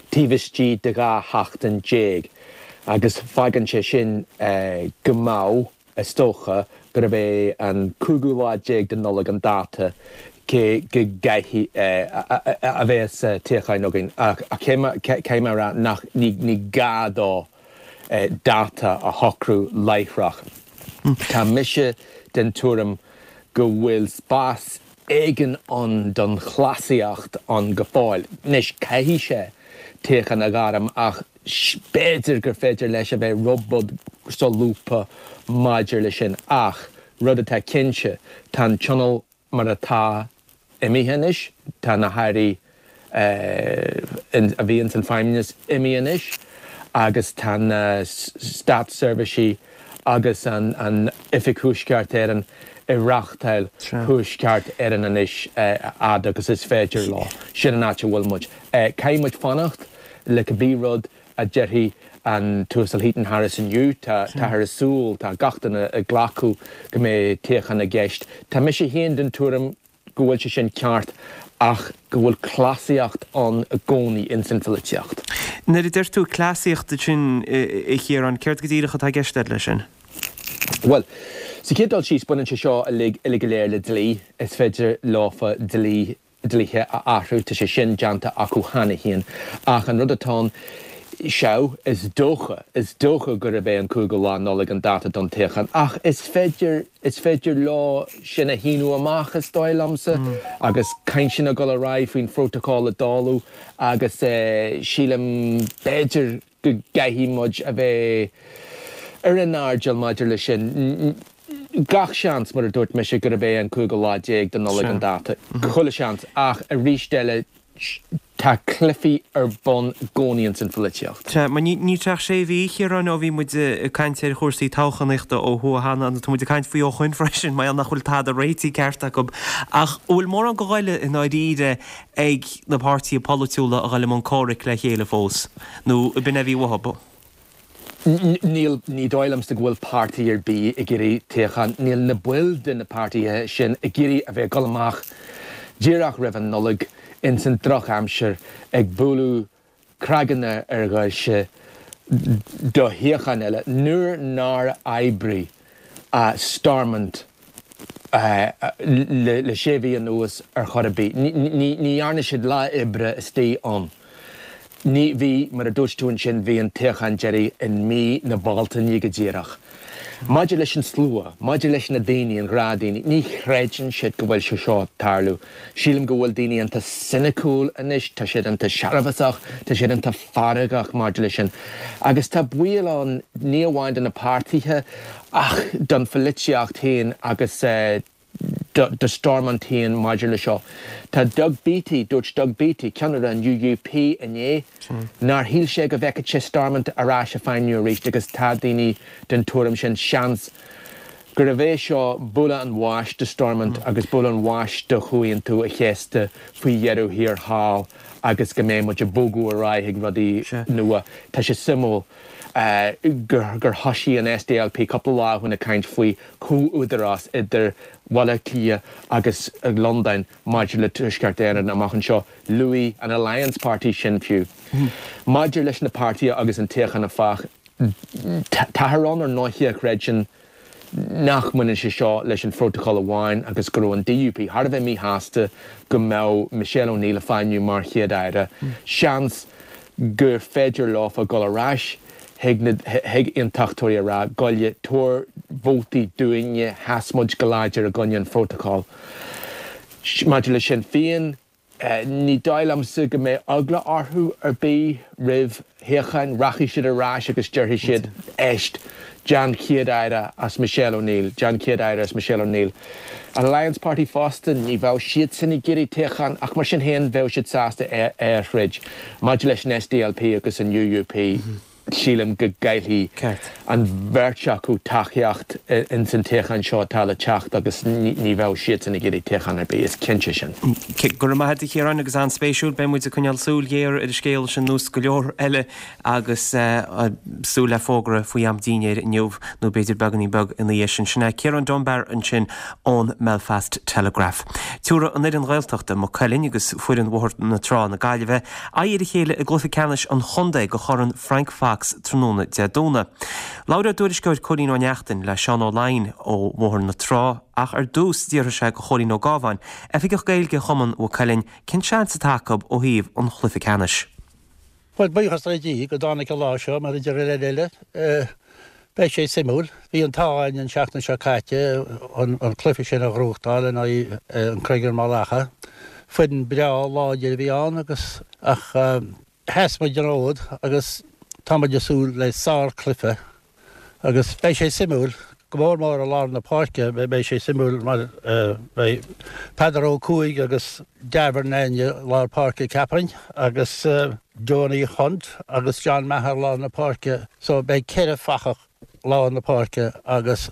taobh istigh de dhá sheachtain déag. Agus fágann sé sin uh, go mbeadh is dócha gurb é an cúigiú lá déag de Nollaig an dáta cé go gcaithfidh a bheas toghchán againn ach cé mar nach ní gá dó dáta a shocrú láithreach. Tá mise den tuairim go bhfuil spás éigin ann don chleasaíocht ann go fóill. Anois caithfidh sé toghchán a ghairm ach b'fhéidir gur féidir leis a bheith rud beag solúbtha maidir leis sin ach rud atá cinnte tá an tionól mar atá imithe anois, tá na hairí a bhí ins an Feidhmeannas imithe anois agus tá na státseirbhísigh agus an Oifig Thuaisceart Éireann ag reáchtáil Thuaisceart Éireann anois a fhad agus is féidir leo. Sin an áit a bhfuil muid. Caithfidh muid fanacht le cibé rud a déarfaidh an tUasal Heaton Harris inniu. Tá, táthar ag súil, tá gach duine ag glacadh go mbeidh toghchán i gceist. Tá mise féin den tuairim go bhfuil sé sin ceart ach go bhfuil cleasaíocht ann i gcónaí ins an pholaitíocht. Nuair a deir tú cleasaíocht ansin, a Chiaráin, céard go díreach atá i gceist agat leis sin? Bhuel, sa chéad dul síos, baineann sé seo uilig, uilig go léir le dlí. Is féidir leofa dlí, dlíthe a athrú, tá sé sin déanta acu cheana féin. Ach an rud atá ann, sea, is dócha, is dócha gurb é an cúigiú lá Nollaig an dáta don toghchán, ach is féidir, is féidir leo sin a shíneadh amach, is dóigh liomsa, agus cainteanna ag dul ar aghaidh faoin phrótacal a dáileadh agus sílim, b'fhéidir, go gcaithfidh muid a bheith ar an airdeall maidir leis sin. Gach seans, mar a dúirt mise, gurb é an cúigiú lá déag de Nollaig an dáta. Chuile sheans. Ach arís eile, tá cluichí ar bun i gcónaí ins an pholaitíocht. Sea, mar níl sé ach sé mhí, a Chiaráin, ó bhí muid ag caint ar chúrsaí toghchánaíochta ó thuaidh cheana, nó tá muid ag caint faoi ó shoin freisin, mar gheall nach bhfuil tada réitithe ceart acu. Ach an bhfuil mórán de ghoile i ndáiríre ag na páirtithe polaitiúla a dhul i mbun comhraic le chéile fós, nó ab in é a bhí uathu? Níl, ní dóigh liomsa go bhfuil páirtí ar bith ag iarraidh toghchán. Níl na baill de na páirtithe sin ag iarraidh a bheith ag dul amach díreach roimh an Nollaig ins an drochaimsir ag bualadh cnaganna ar dhoirse do shuíochán eile nuair nár oibrigh Stormont le sé mhí anuas ar chor ar bith. Ní dhearna siad lá oibre istigh ann. Ní, bhí, mar a dúirt tú ansin, bhí an toghchán deiridh i mí na Bealtaine go díreach. Maidir leis an slua, maidir leis na daoine, an gnáthdhaoine, ní chreideann siad go bhfuil sé seo ag tarlú. Sílim go bhfuil daoine iontach soiniciúil anois, tá siad iontach searbhasach, tá siad iontach feargach maidir leis sin. Agus tá baol ann, ní amháin do na páirtithe ach don pholaitíocht féin agus do Stormont féin maidir le seo. Tá Doug Beattie, dúirt Doug Beattie, ceannaire an UUP inné, nár shíl sé go bhfeicfeadh sé Stormont ar ais ag feidhmiú arís agus tá daoine den tuairim sin, seans, gurbh é seo buille an bháis do Stormont agus buille an bháis do Chomhaontú an Chéasta faoi dheireadh thiar thall agus go mbeidh muid ag bogadh ar aghaidh chuig rudaí nua. Tá sé suimiúil. gur thoisigh an SDLP cúpla lá ó shin ag caint faoi chomh-údarás idir Bhaile Átha Cliath agus Londain maidir le Tuaisceart Éireann amach anseo. Luaigh an Alliance Party sin fiú. Maidir leis na páirtithe agus an toghchán áfach, táthar ann ar ndóiche a chreideann nach mbaineann sé seo leis an phrótacal amháin agus go raibh an DUP thar a bheith míshásta go mbeadh Michelle O'Neill ag feidhmiú mar Chéad-Aire. Seans gur féidir leofa dul ar ais chuig na chuig aontachtóirí a rá, gabh i leith, tabhair vótaí dúinne, sheas muid go láidir i gcoinne an phrótacail. Maidir le Sinn Féin, Ní dóigh liomsa go mbeidh eagla orthu ar bith roimh thoghchán. Rachaidh siad ar ais agus déarfaidh siad, éist, déan Céad-Aire as Michelle O'Neill, déan Céad-Aire as Michelle O'Neill. An Alliance Party fosta, ní bheadh siadsan ag iarraidh toghchán ach mar sin féin bheadh siad sásta é a throid. Maidir leis an SDLP agus an UUP, Sílim go gcaillfidh an bheirt acu tacaíocht ins an toghchán seo atá le teacht agus ní bheadh siadsan ag iarraidh toghchán ar bith, is cinnte sin. Go raibh maith agat a Chiaráin agus an-spéisiúil. Beidh muid ag coinneáil súil ghéar ar an scéal sin nós go leor eile agus súil le fógra faoi am dinnéir inniu nó b'fhéidir beagáinín beag ina dhiaidh sin. Sin é Ciarán Dunbar ansin ón mBelfast Telegraph. Tabharfaidh an fhoireann Ghaeltachta, Maigh Cuilinn agus foireann Bhóthar na Trá na Gaillimhe, aghaidh ar a chéile i gcluiche ceannais an chontae do Chorn Frank Fox tráthnóna Dé Domhnaigh. Labhróidh ár dtuairisceoir Cóilín Ó Neachtain le Seán Ó Laighin ó Bhóthar na Trá ach ar dtús d'fhiafraigh sé de Chóilín Ó Gábháin, Oifigeach Gaeilge Chumann Mhaigh Cuilinn, cén seans atá acu ó thaobh an chluiche ceannais. Bhuel, buíochas le Dia go dtáinig an lá seo, mar a deir an leid eile. Beidh sé suimiúil. Bhí an t-ádh againn an tseachtain seo caite an cluiche sin a ghnóthachtáil in aghaidh an Craigeann Maigh Lacha. Foireann breá láidir a bhí ann agus ach sheas muid an fhód agus tá muid ag súil le sár-chluiche agus beidh sé suimiúil. Go mór mór i lár na páirce beidh sé suimiúil mar beidh Peadar Ó Cuaig agus Davern i lár páirce ceapaim agus Johnny Hunt agus John Maher lár na páirce so beidh ceithre fathach lár na páirce agus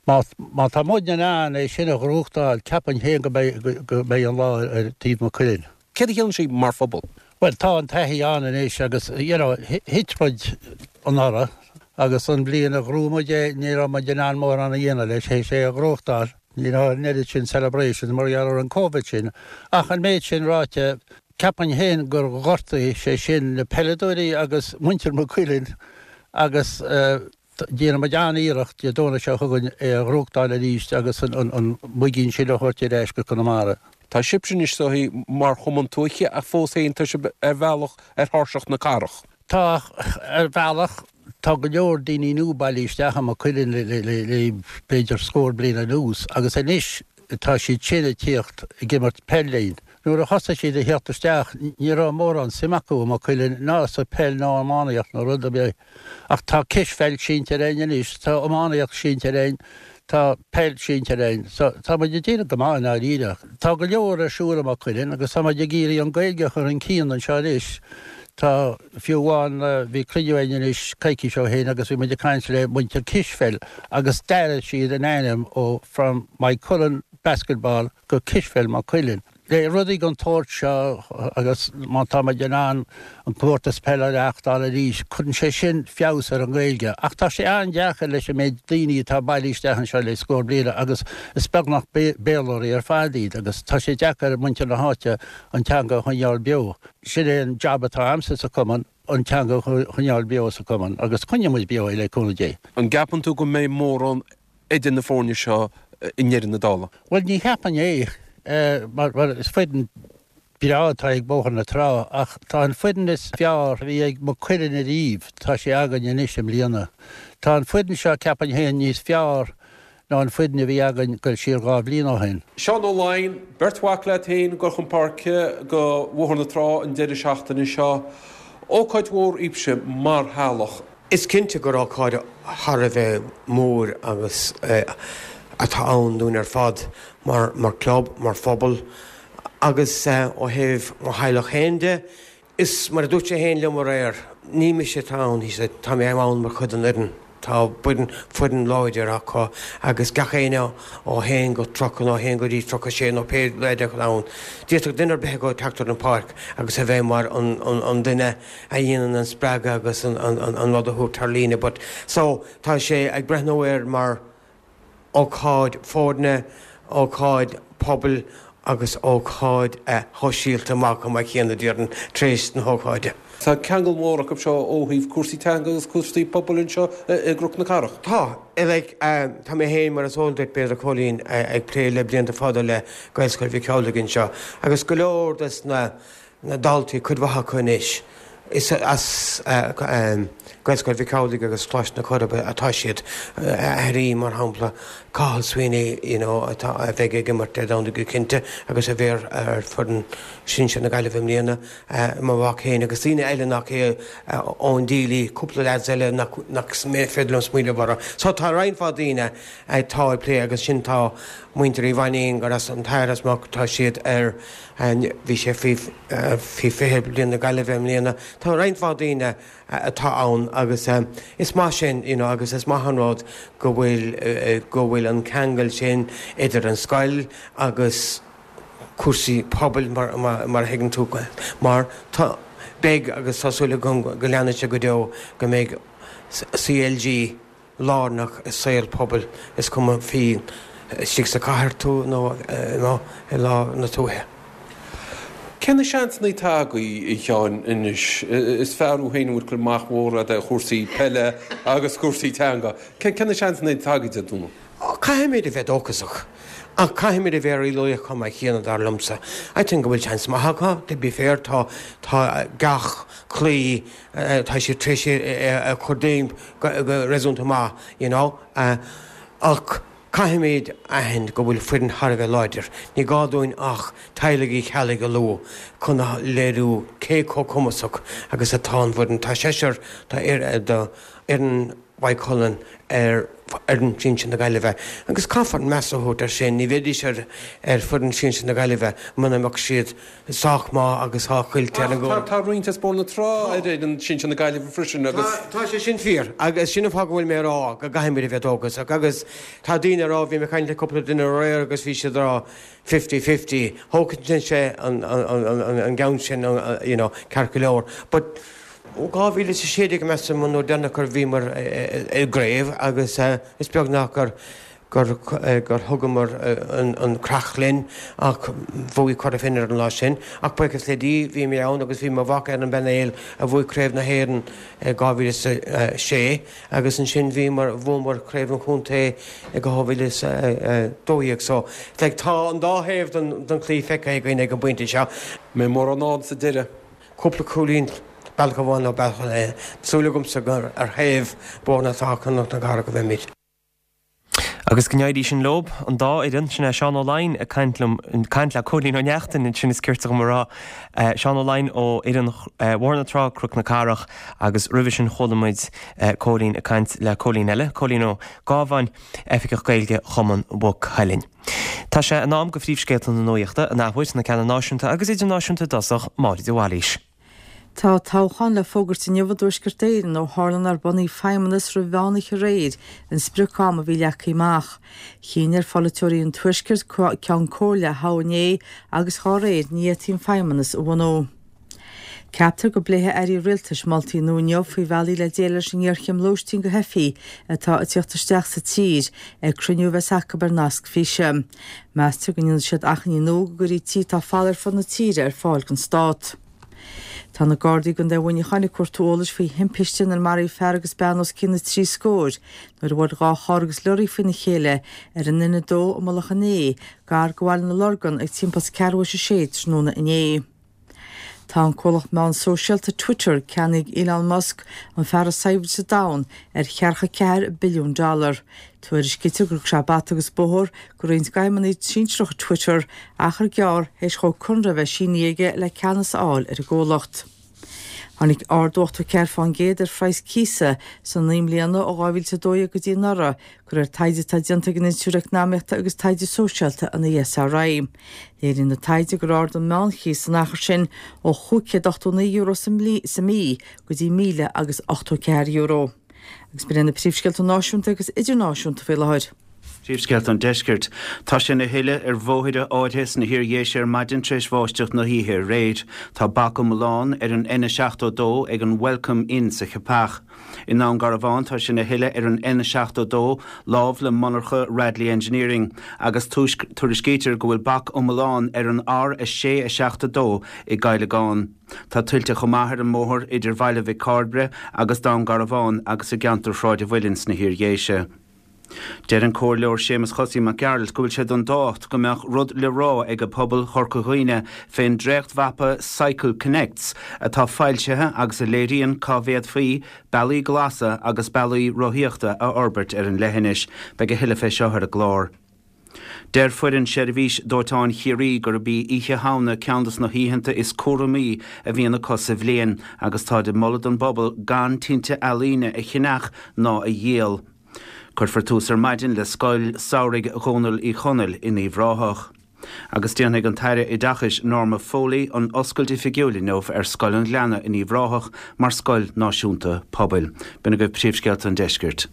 má má tá muid in ann é sin a ghnóthachtáil ceapaim féin go mbeidh go mbeidh an lá ar taobh Maigh Cuilinn. Céard a chiallaíonn sé mar phobal? Bhuel tá an taithí ann anois agus you know thit muid anuraidh agus an bhliain a ghnóthaigh muid é ní raibh muid in ann mórán a dhéanamh leis théis é a ghnóthachtáil. Ní raibh an oiread sin celebrations mar gheall ar an Covid sin ach an méid sin ráite ceapaim féin gur ghortaigh sé sin na peileadóirí agus muintir Maigh Cuilinn agus déanfaidh muid an-iarracht Dé Domhnaigh seo chugainn é a ghnóthachtáil arís agus an muigín sin a thabhairt ar ais go Conamara. Tá sibhse anois is dóigh mar chumann tuaithe ach fós féin tá sibh ar bhealach ar thairseach na cathrach. Tá, ar bhealach. Tá go leor daoine nua bailithe isteach i Maigh Cuilinn le b'fhéidir scór bliain anuas agus anois tá siad sin ag tíocht ag imirt peil linn. Nuair a thosaigh siad a theacht isteach ní raibh mórán suim acu i Maigh Cuilinn ná sa peil ná iománaíocht nó rud ar bith ach tá cispheil sínte againn anois, tá iománaíocht sínte againn, tá peil sínte againn. So tá muid ag déanamh go maith i ndáiríre. Tá go leor ar siúl i Maigh Cuilinn agus tá muid ag iarraidh an Ghaeilge a chur chun cinn anseo anois. Tá, fiú amháin, bhí cruinniú againn anois coicís ó shin agus bhí muid ag caint le muintir Cispheil agus d'athraigh siad an ainm ó From Moycullen Basketball go Cispheil Maigh Cuilinn. Le rudaí den tsórt seo agus má tá muid in ann an comórtas peile a reáchtáil arís, cuireann sé sin feabhas ar an nGaeilge. Ach tá sé an-deacair leis an méid daoine atá bailithe isteach anseo le scór bliana agus is beagnach Béarlóirí ar fad iad agus tá sé deacair ar muintir na háite an teanga a choinneáil beo. Sin é an jab atá a'msa sa chumann, an teanga a choinneáil beo sa chumann agus coinneoidh muid beo é le cúnamh Dé. An gceapann tú go mbeidh mórán idir na foirne seo i ndeireadh na dála? Bhuel, ní cheapaim é, mar is foireann breá atá ag Bóthar na Trá ach tá an foireann is fearr a bhí ag Maigh Cuilinn ariamh, tá sé againn anois i mbliana. Tá an foireann seo, ceapaim féin, níos fearr ná an foireann a bhí againn goil siar dhá bhliain ó shin. Seán Ó Laighin, beirt mhac leat féin ag dul chun páirce do Bhóthar na Trá an deireadh seachtaine seo. Ócáid mhór daoibhse mar theaghlach. Is cinnte gur ócáid thar a bheith mór agus atá ann dúinn ar fad mar mar club, mar phobal agus ó thaobh mo theaghlach féin de. Is mar a dúirt sé féin liom aréir, ní mise atá ann, he said, tá mé ann mar chuid den fhoireann. Tá foireann láidir acu agus gach éinne ó haon go tríocha nó haon go dtí tríocha sé nó pé leaid atá ann. D'fhéadfadh duine ar bith acu teacht ar an pháirc agus a bheith mar an duine a dhéanann an spreagadh agus an rud a thabhairt thar líne. But so tá sé ag breathnú air mar ócáid foirne, ócáid pobail agus ócáid shóisialta amach chomh maith céanna, déarfainn, tar éis na hócáide. Tá ceangal mór acu seo ó thaobh cúrsaí teanga agus cúrsaí pobail anseo i gCnoc na Cathrach. Tá. Like, tá mé féin, mar is eol duit, b'fhéidir, a Chóilín, ag plé le blianta fada le Gaelscoil Mhic Amhlaigh anseo agus go leor des na na daltaí, cuid mhaith acu anois, is as Gaelscoil Mhic Amhlaigh agus Coláiste na Coiribe atá siad. Aithrí, mar shampla, Cathal Sweeney, you know, atá, a bheidh ag imirt Dé Domhnaigh go cinnte agus a bheidh ar foireann sinsir na Gaillimhe i mbliana, mo mhac féin agus daoine eile nach é, Eoin Deely, cúpla leaids eile nach, nach féidir liom smaoineamh orthu. So tá roinnt mhaith daoine atá ag plé agus sin tá muintir Uí Mhainnín gur as an t-athair as Muc, tá siad ar, Bhí sé faoi fiche bliain na Gaillimhe i mbliana. Tá roinnt mhaith daoine atá ann agus is maith sin you know agus is maith an rud go bhfuil go bhfuil an ceangal sin idir an scoil agus cúrsaí pobail mar mar a thuigeann tú mar tá beidh agus tá súil agam go leanfaidh sé go deo go mbeidh C L G lárnach i saol pobail, is cuma faoi istigh sa chathair tú nó i lár na tuaithe. Cé na seansanna atá agaibh, a Sheáin, anois? Is fear thú féin a bhfuil cur amach mór agat ar chúrsaí peile agus cúrsaí teanga. Cé na seansanna atá agaibh Dé Domhnaigh? Caithfimid a bheith dóchasach, ach caithfimid a bheith réalaíoch chomh maith céanna, dar liomsa. I think go bhfuil seans maith acu, to be fair, tá tá gach cluiche tá siad tar éis é a chur dínn go réasúnta maith, you know. Ach caithfimid aithint go bhfuil foireann thar a bheith láidir. Ní gá dúinn ach teaghlaigh Uí Cheallaigh a lua chun a léiriú cé chomh cumasach agus atá an bhfoireann. Tá seisear do fhoireann Mhaigh Cuilinn ar fhoireann sinsir na Gaillimhe agus caithfear meas a thabhairt air sin, ní bheidís ar ar foireann sinsir na Gaillimhe muna mbeadh siad sách maith agus sách oilte ar an gcúl. Tá roinnt as Bóthar na Trá ar fhoireann sinsir na Gaillimhe freisin agus. Tá sé sin fíor agus sin an fáth go bhfuil mé ag rá go gcaithfimid a bheith dóchasach agus tá daoine ag rá, bhí mé ag caint le cúpla duine aréir agus bhí siad ag rá fifty fifty, thógfainnse an an gceann sin you know ceart go leor but Ó dhá mhíle is a sé déag measaim an uair deireanach gur bhíomar i gcraobh agus is beag nach gur gur gur thugamar an creach linn ach bhuaigh Cora Finne ar an lá sin. Ach buíochas le Dia bhí mé ann agus bhí mo mhac ar an bpainéal a bhuaigh Craobh na hÉireann i dhá mhíle is a sé agus ansin bhíomar bhuamar Craobh an Chontae i dhá mhíle is a dó dhéag. So like tá an dá thaobh den den chluiche feicthe againn ag an bpointe seo. Mbeidh mórán ann sa deireadh. Cúpla cúilín bealach amháin nó bealach eile. Súil agamsa gur ar thaobh Bhóthar na Trá Cnoc na Cathrach a bheimid. Agus go n-éirí sin leo, an dá fhoireann, sin é Seán Ó Laighin ag caint liom, ag caint le Cóilín Ó Neachtain ansin is cirte dhom a rá, Seán Ó Laighin ó fhoireann Bhóthar na Trá, Cnoc na Cathrach agus roimhe sin chuala muid Cóilín ag caint le Cóilín eile, Cóilín Ó Gábháin, Oifigeach Gaeilge Chumann Mhaigh Cuilinn. Tá sé in am go phríomhscéalta na nuachta, an athuair, na ceanna náisiúnta agus idirnáisiúnta i dtosach, Máire de Bhailís. Tá toghchán le fógairt inniu i dTuaisceart Éireann ó tharla nár bunaíodh Feidhmeannas roimh mheán oíche aréir, an sprioc-am a bhí leagtha amach. Chinn ar pholaiteoirí an Tuaiscirt Ceann Comhairle a thoghadh inné agus dhá réir ní fhéadfaí an Feidhmeannas a bhunú. Ceaptar go bpléifidh airí rialtais moltaí nua inniu faoi bhealaí le déileáil leis an ngéarchéim lóistín do theifigh atá ag tíocht isteach sa tír ag cruinniú a bheas acu ar nasc físe. Meastar go ndéanfaidh siad achainí nua go gcuirfí tithe atá folamh ar fud na tíre ar fáil don stát. Tá na Gardaí i gContae Mhuineacháin ag cuartú eolais faoi thimpiste inar maraíodh fear agus bean os cionn na trí scóir nuair a bhuail dhá charr agus leoraí faoina chéile ar an N a dó i Mullach an Ae, gar do Bhaile na Lorgan ag timpeall is ceathrú théis a sé tráthnóna inné. Tá an comhlacht meán sóisialta Twitter, ceannaithe ag Elon Musk, an fear is saibhre sa domhan, ar cheathracha ceathair billiún dollar. Tuairiscítear gur thug sé bata agus bóthar go roinnt d'fheidhmeannaigh sinsearacha Twitter achar gearr théis dhó conradh a bheith sínithe aige le ceannas a fháil ar an gcomhlacht. Tháinig ardú ochtó ceathair fán gcéad ar phraghas cíosa sna naoi mbliana ó dhá mhíle is a dó dhéag go dtí anuraidh, de réir taighde atá déanta ag an Institiúid Eacnamaíochta agus Taighde Sóisialta, an E S R I. Léiríonn an taighde gur ardaigh an meánchíos san achar sin ó chúig chéad ochtó naoi euro sa mí go dtí míle agus ochtó ceathair euro. Agus b'in iad na príomhscéalta náisiúnta agus idirnáisiúnta faoi láthair. Príomhscéalta an Deiscirt. Tá sé ina thuile ar bhóithre áirithe sna hIar-Dhéise ar maidin tar éis bháisteach na hoíche aréir. Tá bac iomlán ar an N seachtó a dó ag an Welcome Inn sa Cheapach. I nDún Garbhán tá sé ina thuile ar an N seachtó a dó lámh le monarcha Radley Engineering agus tuairiscítear go bhfuil bac iomlán ar an R a sé a seacht a dó i gCailleagán. Tá tuilte chomh maith ar an mbóthar idir Bhaile Mhic Cairbre agus Dún Garbhán agus i gceantar Shráid an Mhuilinn sna hIar-Dhéise. Deir an Comhairleoir Séamus Chosaí Mac Gearailt go bhfuil sé den dtábhacht go mbeadh rud le rá ag pobal Chorca Dhuibhne fén dréachtmhapa Cycle Connects atá foilsithe agus a léiríonn cá bhféadfaí bealaí glasa agus bealaí rothaíochta a fhorbairt ar an leithinis. Beidh a thuilleadh fé seo ar an gclár. Deir foireann Sheirbhís Dóiteáin Chiarraí gurb í Oíche Shamhna ceann de na hoícheanta is cúramaí a bhíonn acu sa bhliain agus táid ag moladh don bpobal gan tinte ealaíne a cheannach ná a dhíol. Cuirfear tús ar maidin le Scoil Samhraidh Dhónaill Uí Chonaill in Uíbh Ráthach. Agus déanfaidh an tAire Oideachais Norma Foley an oscailt oifigiúil inniu ar Scoil an Ghleanna in Uíbh Ráthach mar Scoil Náisiúnta Pobail. B'in agaibh príomhscéalta an deiscirt.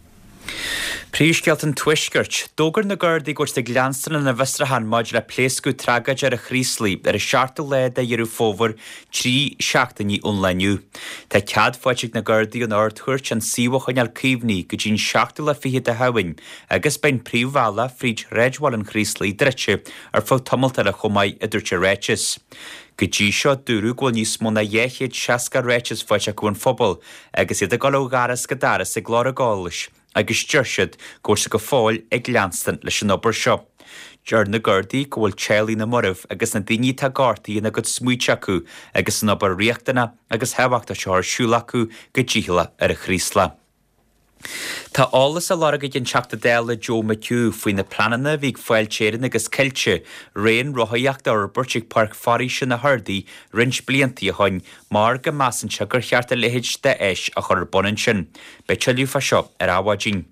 Príomhscéalta an Tuaiscirt. D'fhógair na Gardaí go bhfuil siad ag leanstan lena bhfiosrúchán maidir le pléascadh tragóideach ar an Chraoslaigh ar an seachtú lá de Dheireadh Fómhair, trí seachtainí ón lá inniu. Tá cead faighte ag na Gardaí ón Ard-Chúirt an suíomh a choinneáil caomhnaithe go dtí an seachtú lá fichead de Shamhain agus beidh an príomhbhealach fríd shráidbhaile an Chraoslaigh druidte ar feadh tamalt eile chomh maith, a dúirt an ráiteas. Go dtí seo, dúradh go bhfuil níos mó ná dhá chéad seasca ráiteas faighte acu ón phobal agus iad ag dul ó dhoras go doras ag lorg eolais agus deir siad go bhfuil siad go fóill ag leanstan leis an obair seo. Deir na Gardaí go bhfuil teaghlaigh na marbh agus na daoine atá gortaithe ina gcuid smaointe acu agus an obair riachtanach agus thábhachtach seo ar siúl acu go dícheallach ar an Chraoslach. Tá eolas á lorg ag an Teachta Dála Joe McHugh faoi na pleananna a bhí ag Fáilte Éireann agus Coillte raon rothaíochta a fhorbairt ag Páirc Foraoise na hArdaí roinnt blianta ó shin mar go measann sé gur cheart a leithéid d'áis a chur ar bun ansin. Beidh tuilleadh fá seo ar Adhmhaidin.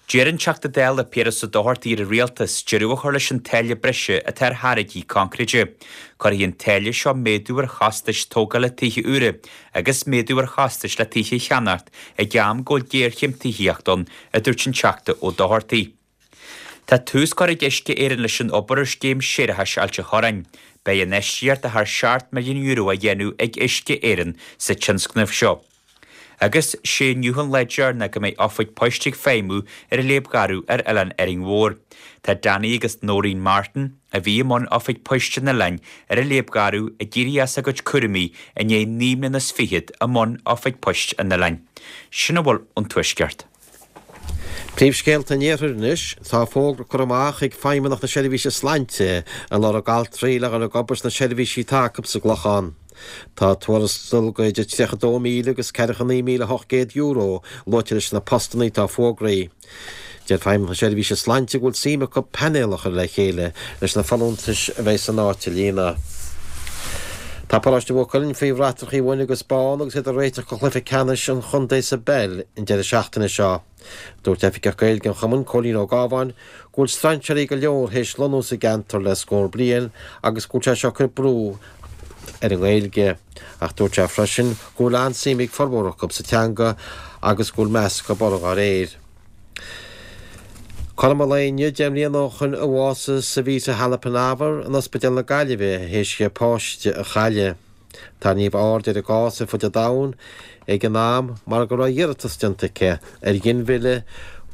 D'iarr an Teachta Dála Piaras Ó Dochartaigh ar an Rialtas deireadh a chur leis an táille breise atá ar tháirgí coincréite. Cuirfidh an táille seo méadú ar chostais tógála tithe úra agus méadú ar chostais le tithe a cheannacht ag am go bhfuil géarchéim tithíochta ann, a dúirt an Teachta Ó Dochartaigh. Tá tús curtha ag Uisce Éireann leis an obair ar scéim séarachais Ailt an Chorráin. Beidh infheistíocht de thar seacht milliún euro á dhéanamh ag Uisce Éireann sa tionscnamh seo. Agus sé inniu an lá deireanach go mbeidh oifig poist ag feidhmiú ar an Léib Gharbh ar Oileán Árainn Mhór. Tá Danny agus Noreen Martin, a bhí i mbun oifig poist an oileáin ar an Léib Gharbh, ag éirí as a gcuid cúraimí i ndiaidh naoi mbliana is fichead i mbun oifig poist an oileáin. Sin a bhfuil ón Tuaisceart. Príomhscéalta an Iarthair anois, tá fógra curtha amach ag Feidhmeannacht na Seirbhíse Sláinte ag lorg altraí le dhul ag obair sna seirbhísí atá acu sa gClochán. Tá tuarastal de idir tríocha dó míle agus ceathracha naoi míle ocht gcéad euro luaite leis na postanna atá fógraithe. Deir Feidhmeannacht na Seirbhíse Sláinte go bhfuil suim acu painéal a chur le chéile leis na folúntais a bheidh san áit a líonadh. Tá Paróiste Mhaigh Cuilinn faoi bhratacha bhuí agus bán agus iad ag réiteach do chluiche ceannais an chontae sa bpeil an deireadh seachtaine seo. Dúirt Oifigeach Gaeilge an chumainn, Cóilín Ó Gábháin, go bhfuil strainséirí go leor théis lonnú sa gceantar le scór bliain agus go bhfuil sé seo ag cur brú ar an nGaeilge. Ach dúirt sé freisin go bhfuil an-suim ag formhór acu sa teanga agus go bhfuil meas acu uirthi dá réir. Cothrom an lae inniu deich mbliana ó shin a bhásaigh Savita Halappanavar in Ospidéal na Gaillimhe théis di a páiste a chailleadh. Tarraingíodh aird ar a cás ar fud an domhain ag an am mar go raibh iarratas déanta aici ar ghinmhilleadh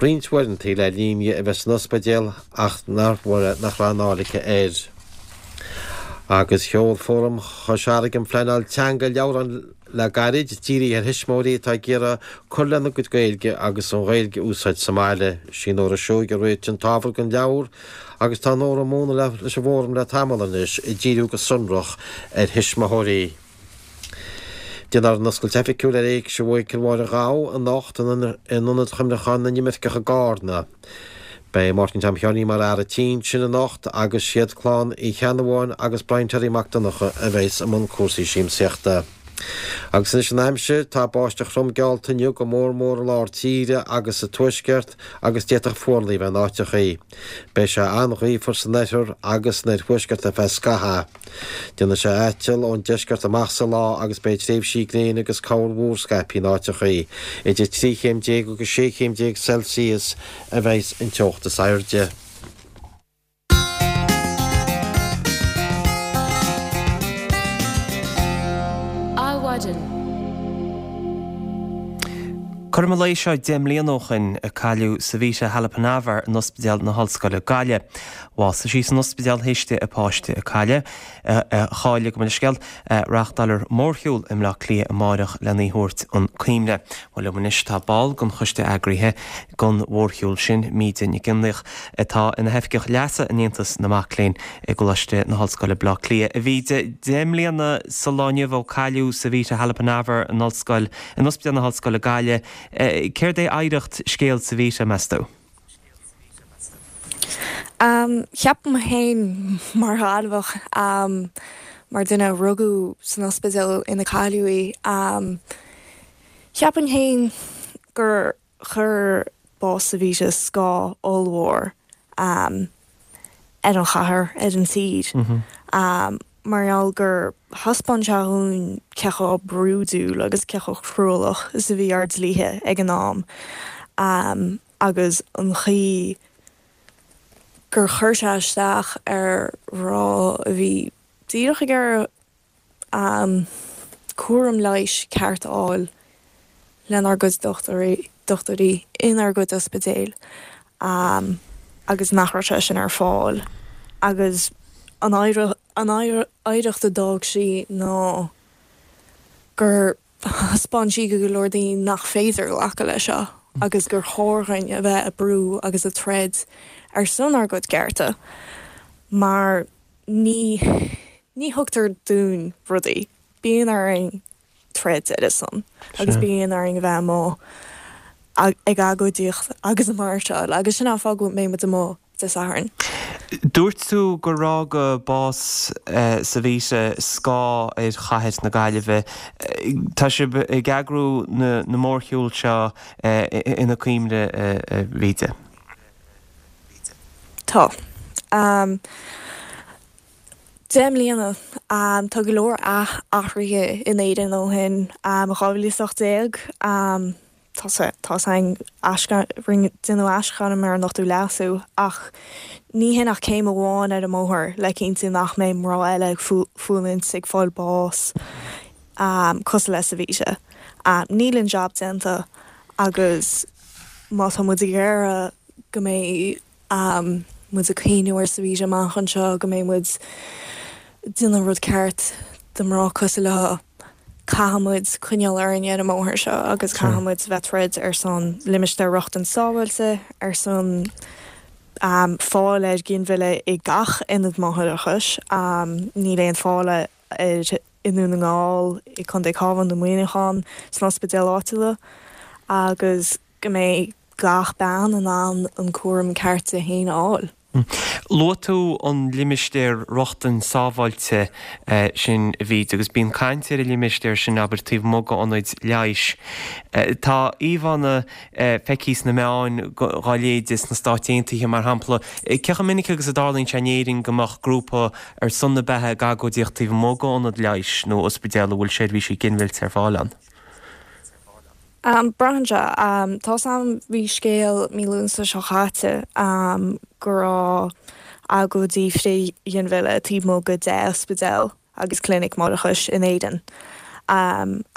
roinnt uaireanta le linn di a bheith san ospidéal ach nach raibh aon fháil aici air. Agus sheol Fóram Chois Fharraige um Phleanáil Teanga leabhrán le gairid, dírithe ar thuismitheoirí atá ag iarraidh cur lena gcuid Gaeilge agus an Ghaeilge a úsáid sa mbaile. Sí Nóra Seoighe a réitigh an t-ábhar don leabhar agus tá Nóra ag múineadh leis an bhFóram le tamall anois, ag díriú go sonrach ar thuismitheoirí. Déanfar an oscailt oifigiúil ar Éigse Mhichael Mháire Ghabha anocht in Ionad Chuimhneacháin na nImirceach i gCarna. Beidh Máirtín Tom Sheáinín mar fhear an tí ansin anocht agus siad clann Uí Cheannabháin agus Brian Terry Mac Donncha a bheas i mbun cúrsaí siamsaíochta. Agus anois an aimsir, tá báisteach throm geallta inniu go mór mór i lár tíre agus sa tuaisceart agus d'fhéadfadh fuarlaigh a bheith in áiteachaí. Beidh sé an-ghaofar san oirthear agus san oirthuaisceart ar feadh scaithimh. Déanfaidh sé aiteal ón deisceart amach sa lá agus beidh tréimhsí gréine agus corrmhúr scaipthe in áiteachaí. Idir trí chéim déag agus sé chéim déag Celsius a bheas an teocht is airde. Adhmhaidin. Cothrom an lae seo deich mbliana ó shin a cailleadh Savita Halappanavar in Ospidéal na hOllscoile Gaillimh. Bhásaigh sí san ospidéal théis di a páiste a cailleadh, a chailleadh, gabh mo leithscéal. Reáchtálfar mórshiúl i mBleá Cliath amáireach lena thabhairt chun cuimhne. Bhuel liom anois tá ball den choiste eagraithe don mhórshiúl sin, Míde Nic Fhionnlaoich, atá ina hoifigeach leasa in Aontas na Mac Léinn i gColáiste na hOllscoile Bleá Cliath. A Mhíde, deich mbliana sa lá inniu ó cailleadh Savita Halappanavar in Ollscoil, in Ospidéal na hOllscoile Gaillimh. Céard é oidhreacht scéal Savita, meas tú? Ceapaim féin mar Ghaillimheach, mar duine a rugadh san ospidéal ina cailleadh í, cheapfainn féin gur chuir bás Savita scáth ollmhór ar an chathair, ar an tír. Mar gheall gur thaispeáin sé dhúinn cé chomh brúidiúil agus cé chomh cruálach is a bhí ár dlíthe ag an am agus an chaoi gur chuir sé isteach ar mhná a bhí díreach ag iarraidh cúram leighis ceart a fháil lenár gcuid dochtúirí inár gcuid ospidéil agus nach raibh sé sin ar fáil agus an An oidhreacht a d'fhág sí ná gur thaispeáin sí go go leor daoine nach féidir glacadh leis seo agus gur chóir dhúinn a bheith ag brú agus ag troid ar son ár gcuid cearta mar ní ní thugtar dúinn rudaí. Bíonn orainn troid ar a son agus bíonn orainn a bheith amuigh ag agóidíocht agus ag máirseáil agus sin an fáth go mbeidh muid amuigh Dé Sathairn. Dúirt tú gur fhág bás Savita scáth ar chathair na Gaillimhe. Tá sibh ag eagrú na mórshiúil seo ina cuimhne, a Bhríde. Tá. Deich mbliana. Tá go leor athruithe in Éirinn ó shin. dhá mhíle is ocht déag, tá tá's againn, deineadh aisghairm ar an Ochtú Leasú ach ní hin ach céim amháin ar an mbóthar le cinntiú nach mbeidh mná eile ag fulaingt, ag fáil bás cosúil le Savita. Níl an jab déanta agus má tá muid ag iarraidh go mbeidh muid ag cuimhniú ar Savita amach anseo, go mbeidh muid ag déanamh an rud ceart do mná cosúil léi, caithfidh muid coinneáil orainn ar an mbóthar seo agus caithfidh muid bheith troid ar son limistéar rochtain sábháilte, ar son fáil ar ghinmhilleadh i gach ionad máithreachais. Níl aon fáil air i nDún na nGall, i Contae Cabhán nó Muineachán, sna ospidéil áitiúla agus go mbeidh gach bean in ann an cúram ceart di féin a fháil. Luaigh tú an limistéar rochtain sábháilte sin, a Bhríd, agus bíonn caint ar an limistéar sin, abair, taobh amuigh d'ionaid leighis. Tá íomhánna feicthe sna meáin dá leithéid sna Stáit Aontaithe, mar shampla. Cé chomh minic agus a dtarlaíonn sé in Éirinn go mbeadh grúpa ar son na beatha ag agóidíocht taobh amuigh d'ionad leighis nó ospidéal a bhfuil seirbhísí ginmhillte ar fáil ann? Braitheann sé. Tá's a'm, bhí scéal mí Lúnasa seo chaite go raibh agóidí frith-ghinmhilleadh taobh amuigh de deich ospidéal agus clinic máithreachais in Éirinn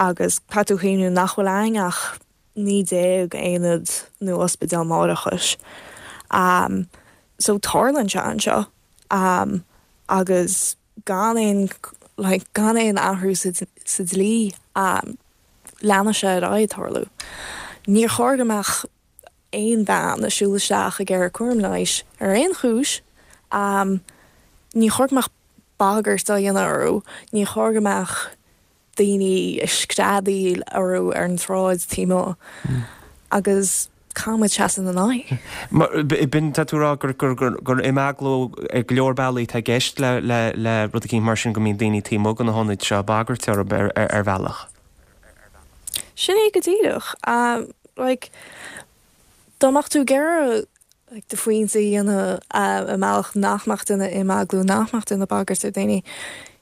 agus caithfidh tú cuimhniú nach bhfuil a'inn ach naoi déag aonad nó ospidéal máithreachais. So tarlaíonn sé anseo agus gan aon like gan aon athrú sa dlí. Leanfaidh sé ar aghaidh ag tarlú. Níor chóir go mbeadh aon bhean ag siúl isteach ag iarraidh cúram leighis ar aon chúis. Ní chóir go mbeadh bagairt á dhéanamh orthu. Ní chóir go mbeadh daoine ag screadaíl orthu ar an tsráid taobh amuigh. Agus caithfidh muid seasamh ina n-aghaidh. B'in, tá tú ag rá gur, gur, gur, gur imeaglú ar go leor bealaí atá i gceist le, le, le rud eicínt mar sin, go mbíonn daoine taobh amuigh de na hionaid seo ag bagairt orthu ar, ar, ar bhealach. Sin é go díreach. Like, dá mbeadh tú ag iarraidh like, do phointe a dhéanamh i mbealach nach mbeadh duine imeaglú, nach mbeadh duine ag bagairt ar daoine,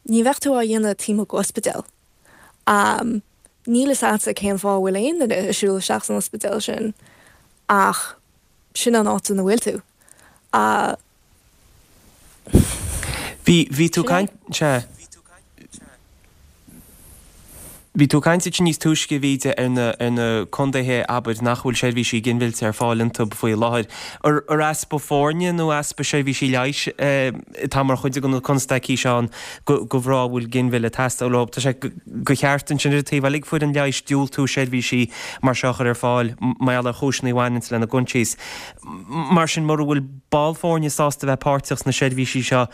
ní bheadh tú á dhéanamh taobh amuigh d'ospidéal. Níl fhios a'dsa cén fáth a bhfuil aon duine ag siúl isteach san ospidéal sin ach sin an áit ina bhfuil tú. Bhí, bhí tú ag caint, sea. Bhí tú ag caint ansin níos túisce, a Bhríde, ar na, ar na contaetha, abair, nach bhfuil seirbhísí ginmhillte ar fáil iontu faoi láthair. Ar, ar easpa foirne nó easpa seirbhísí leighis atá mar chuid de na constaicí seo ann do, do mhná a bhfuil ginmhilleadh ag teastáil uathu? Tá sé go cheart ansin ar an taobh eile ag foireann leighis diúltú seirbhísí mar seo a chur ar fáil mar gheall ar chúiseanna a bhaineanns lena gcoinsias. Mar sin, mura bhfuil ball foirne sásta bheith páirteach sna seirbhísí seo,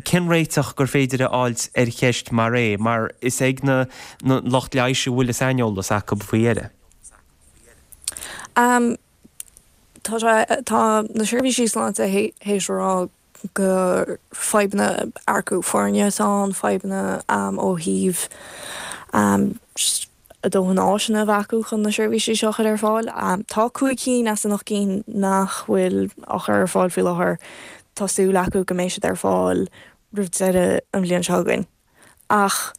cén réiteach gur féidir a fháilt ar cheist mar é, mar is ag na lucht leighis a bhfuil an saineolas acu faoi dheireadh? Tá sé, tá na seirbhísí sláinte théis a rá gur fadhbanna earcú foirne atá ann, fadhbanna ó thaobh a dóthain áiseanna a bheith acu chun na seirbhísí seo a chur ar fáil. Tá cúig cinn as an ocht gcinn nach bhfuil á chur ar fáil faoi láthair. Tá súil acu go mbeidh siad ar fáil roimh deireadh an bhliain seo chugainn. Ach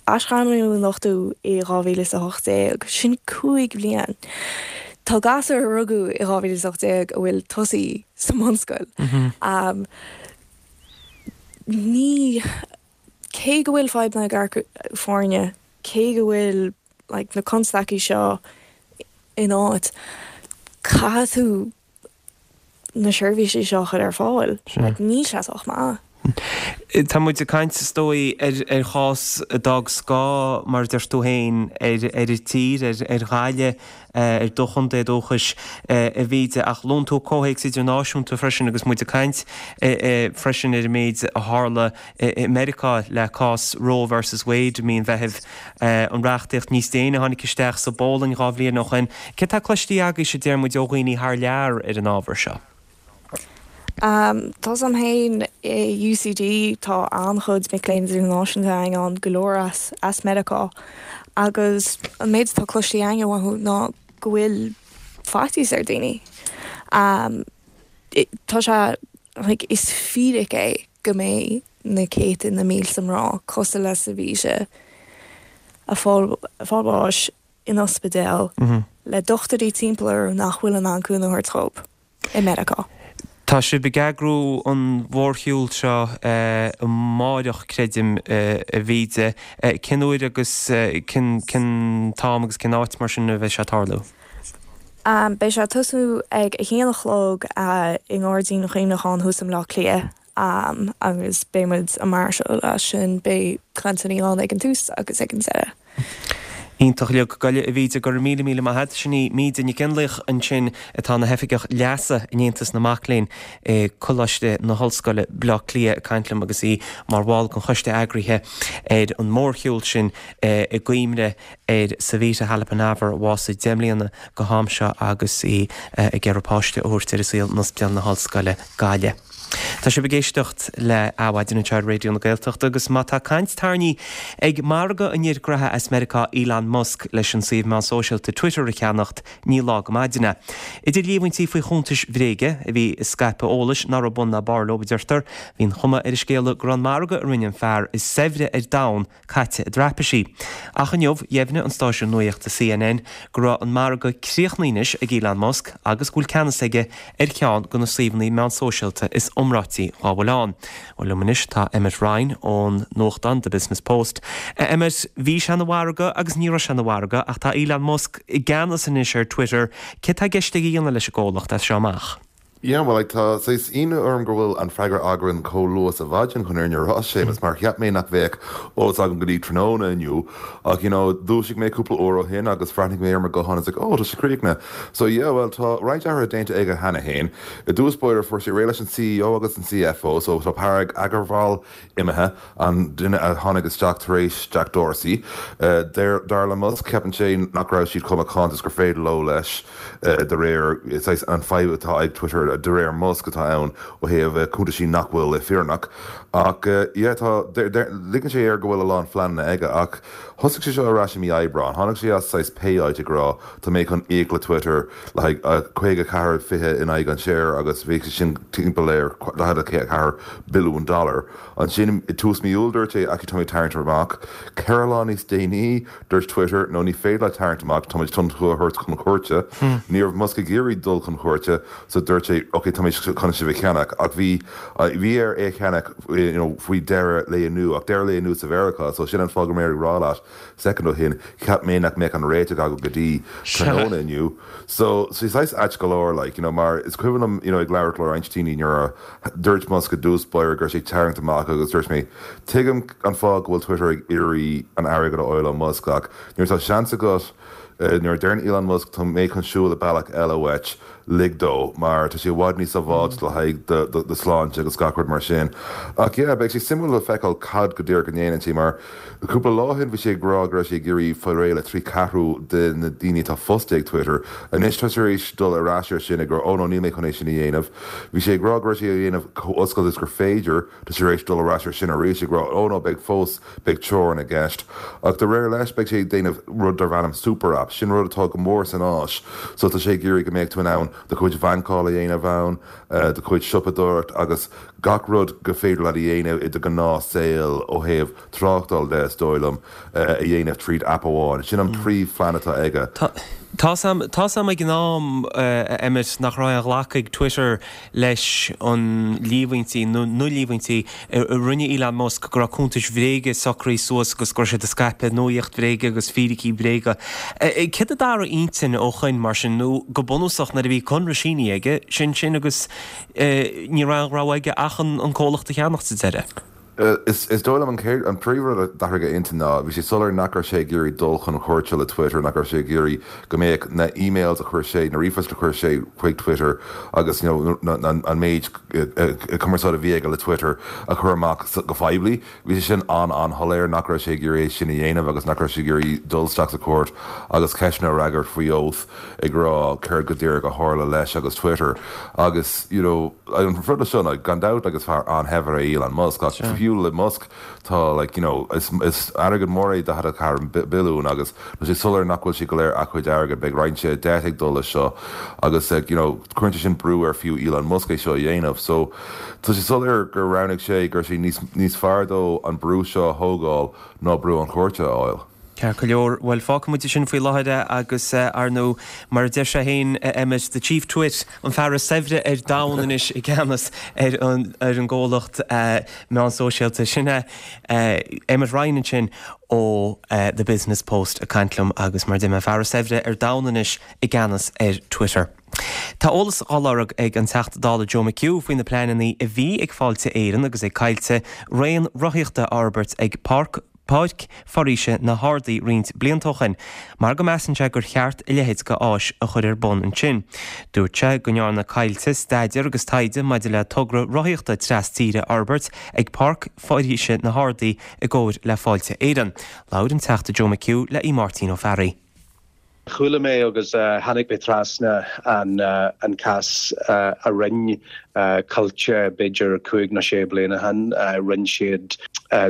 aisghairmeadh an ochtú i dhá mhíle is a hocht déag, sin cúig bhliain. Tá gasúir a rugadh i dhá mhíle is a hocht déag a bhfuil tosaithe sa mbunscoil. Ní. Cé go bhfuil fadhbanna ag earcú foirne, cé go bhfuil like na constaicí seo in áit, caithfidh tú na seirbhísí seo a chur ar fáil. Like níl sé sách maith. Tá muid ag caint is dóigh ar ar chás a d'fhág scáth mar a deir tú féin ar ar an tír, ar ar Ghaillimh, ar do chontae dúchais a Mhíde ach luann tú comhthéacs idirnáisiúnta freisin agus muid ag caint freisin ar an méid a tharla i Meiriceá le cás Roe versus Wade i mí an Mheithimh, an reachtaíocht níos déine a tháinig isteach sa bPólainn dhá bhliain ó shin. Céard atá cloiste agaibhse, deir muid, ó dhaoine thar lear ar an ábhar seo? Um, tá sam féin i UCD tá an-chuid mic léinn idirnáisiúnta ann go leor as as Meiriceá agus an méid atá cloiste againn uathu ná go bhfuil faitíos ar daoine. Um, tá sé like, is fíric é go mbeidh na céadta na mílte mná cosúil le Savita ag fáil fáil bháis in ospidéal mm -hmm. le dochtúirí timpeall orthu nach bhfuil in ann cúnamh a thabhairt dóibh i Meiriceá. Tá sibh ag eagrú an mhórshiúil seo amáireach, creidim, a Mhíde. Cén uair agus cén t-am agus cén áit mar sin a bheidh sé ag tarlú? Beidh sé ag tosú ag a haon a chlog i nGairdín an Chuimhneacháin thuas i mBleá Cliath agus beidh muid ag máirseáil as sin, beidh cainteanna ann ag an tús agus ag an deireadh. Iontach uilig. Go, a Mhíde, go raibh míle míle maith agat. Sin í Míde Nic Fhionnlaoich ansin atá ina hoifigeach leasa in Aontas na Mac Léinn i Coláiste na hOllscoile, Bleá Cliath ag caint liom agus í mar bhall den choiste eagraithe ar an mórshiúl sin i gcuimhne ar Savita Halappanavar a bhásaigh deich mbliana go ham seo agus í ag iarraidh páiste a thabhairt ar an saol in Ospidéal na hOllscoile, Gaillimh. Tá sibh ag éisteacht le Adhmhaidin anseo ar Raidió na Gaeltachta agus má tá caint tarraingthe ag margadh an fhir gnoithe as Meiriceá Elon Musk leis an suíomh meán sóisialta Twitter a cheannacht, ní lá go maidin é. Idir líomhaintí faoi chuntais bhréige a bhí ag scaipeadh eolais nach raibh bun ná barr leo, a deirtear, bhí an chuma ar an scéala go raibh an margadh a rinne an fear is saibhre ar domhan caite i dtraipisí. Ach inniu, dheimhnigh an stáisiún nuachta CNN go raibh an margadh críochnaithe anois ag Elon Musk agus go bhfuil ceannas aige ar cheann de na suíomhanna meán sóisialta is iomráití dhá bhfuil ann. Bhuel, liom anois tá Emmet Ryan ón nuachtán The Business Post. A Emmet, bhí sé ina mhargadh agus ní raibh sé ina mhargadh ach tá Elon Musk i gceannas anois ar Twitter. Céard tá i gceist aige a dhéanamh leis an gcomhlacht as seo amach? Yeah, well, like, tá saghas ionadh orm go bhfuil an freagra againn chomh luath sa mhaidin chun fhírinne a rá, Séamus, mar cheap mé nach bheadh eolas agam go dtí tráthnóna inniu ach you know, dhúisigh mé cúpla uair ó shin agus bhreathnaigh mé ar mo ghuthán is like, oh, tá sé críochnaithe. So yeah, well, tá roinnt athruithe déanta aige cheana féin. I dtús báire fuair sé réidh leis an CEO agus an CFO, so tá Parag Agrawal imithe, an duine a tháinig isteach tar éis Jack Dorsey. Dar le Musk, ceapann sé nach raibh siad chomh macánta is gur féidir leo leis de réir saghas an fadhb atá ag Twitter de réir Musk atá ann ó thaobh cuntaisí nach bhfuil fírinneach. Ach yeah tá ligeann sé air go bhfuil a lán phleananna aige ach thosaigh sé seo ar ais i mí Aibreáin. Tháinig sé as saghas pé áit ag rá tá mé chun íoc le Twitter le haghaidh caoga ceathair fiche in aghaidh an share agus bhí sé sin timpeall ar daichead a ceathair billiún dollar. Ansin i tús mí Iúil dúirt sé actually tá mé ag tarraingt amach. Ceithre lá níos déanaí dúirt Twitter no ní féidir leat tarraingt amach tá muid chun tú a thabhairt chun cúirte. Ní raibh Musk ag iarraidh dul chun cúirte so dúirt sé ok tá mé chun sibh a cheannach ach bhí bhí air é a cheannach you know faoi deireadh lae inniu ach deireadh lae inniu sa Mheiriceá so sin an fáth go raibh mé ag rá leat soicind ó shin cheap mé nach mbeadh an réiteach agam go dtí tráthnóna inniu so so saghas ait go leor like you know mar is cuimhin liom you know ag labhairt le roinnt daoine nuair a dúirt Musk i dtús báire go raibh sé ag tarraingt amach agus dúirt mé tuigim an fáth go bhfuil Twitter ag iarraidh an airgead a fháil ó Musk ach nuair atá seans agat nuair a deireann Elon Musk tá mé chun siúl i bealach eile uait lig dó mar tá sé i bhfad níos sábháilte le haghaidh do shláinte agus gach rud mar sin. Ach yeah, beidh sé suimiúil le feiceáil cad go díreach a ndéanann sé mar cúpla lá ó shin bhí sé ag rá go raibh sé ag iarraidh fáil réidh le trí ceathrú de na daoine atá fostaithe ag Twitter. Anois tá sé tar éis dul ar ais ar sin ag rá oh no níl mé chun é sin a dhéanamh. Bhí sé ag rá go raibh sé a dhéanamh chomh oscailte is gur féidir, tá sé tar éis dul ar ais ar sin arís ag rá oh no beidh fós beidh teorainn i gceist. Ach de réir leis beidh sé ag déanamh rud darb ainm super app, sin rud atá go mór san Áis so tá sé ag iarraidh go mbeadh tú in ann do chuid bhancáil a dhéanamh ann, do chuid siopadóireacht agus gach rud gur féidir leat a dhéanamh i do ghnáthshaol ó thaobh tráchtáil de is dóigh liom a dhéanamh tríd app amháin. Sin an príomhphlean atá aige. Tá. Tá's a'm, tá's a'm ag an am, a Emmet, nach raibh aon ghlacadh ag Twitter leis an líomhaintí, nó na líomhaintí, a rinne Elon Musk go raibh cuntais bhréige socraithe suas agus go raibh siad ag scaipeadh nuaíocht bhréige agus fíricí bréaga. Céard a d'athraigh intinn ó shoin mar sin, nó go bunúsach nuair a bhí conradh sínithe aige, sin sin agus ní raibh aon rogha aige ach an comhlacht a cheannach sa deireadh? Is dóigh liom an chéad, an príomhrud a d'athraigh a intinn ná bhí sé soiléir nach raibh sé ag iarraidh dul chun cúirte le Twitter, nach raibh sé ag iarraidh go mbeadh na emails a chuir sé, na ríomhphoist a chuir sé chuig Twitter agus you know an méid cumarsáid a bhí aige le Twitter a chur amach go poiblí. Bhí sé sin an-an-shoiléir nach raibh sé ag iarraidh é sin a dhéanamh agus nach raibh sé ag iarraidh dul isteach sa chúirt agus ceisteanna a fhreagairt faoi oath ag rá céard go díreach a tharla leis agus Twitter agus you know an rud seo ná gan dabht agus fear an-shaibhir é Elon Musk ach fiú le Musk tá like you know is is airgead mór é daichead a ceathair billiún agus tá sé soiléir nach bhfuil sé go léir a chuid airgid beidh roinnt debt ag dul leis seo agus like you know cuireann sé sin brú ar fiú Elon Musk é seo a dhéanamh so tá sé soiléir gur roghnaigh sé gur sé níos níos fearr dó an brú seo a thógáil ná brú an chúirte a fháil. Ceart go leor, bhuel fágfaidh muid sin faoi láthair é agus ar ndóigh mar a deir sé féin Emmet, the chief twit, an fear is saibhre ar domhan anois i gceannas ar an ar an gcomhlacht meán sóisialta. Sin é Emmet Ryan ansin ó The Business Post ag caint liom agus mar a deir mé an fear is saibhre ar domhan anois i gceannas ar Twitter. Tá eolas á lorg ag an Teachta Dála Joe McHugh faoi na pleananna a bhí ag Fáilte Éireann agus ag Coillte raon rothaíochta a fhorbairt ag Páirc Páirc Foraoise na hArdaí roinnt blianta ó shin, mar go measann sé gur cheart a leithéid de áis a chur ar bun ansin. Dúirt sé go ndearna Coillte staidéar agus taighde maidir le togra rothaíochta tras-tíre a fhorbairt ag Páirc Foraoise na hArdaí i gcomhar le Fáilte Éireann. Labhair an Teachta Joe McHugh le Aodh Máirtín Ó Fearraigh. Chuala mé agus tháinig mé trasna an an cás a rinne Coillte b'fhéidir cúig nó sé bliana ó shin. Rinne siad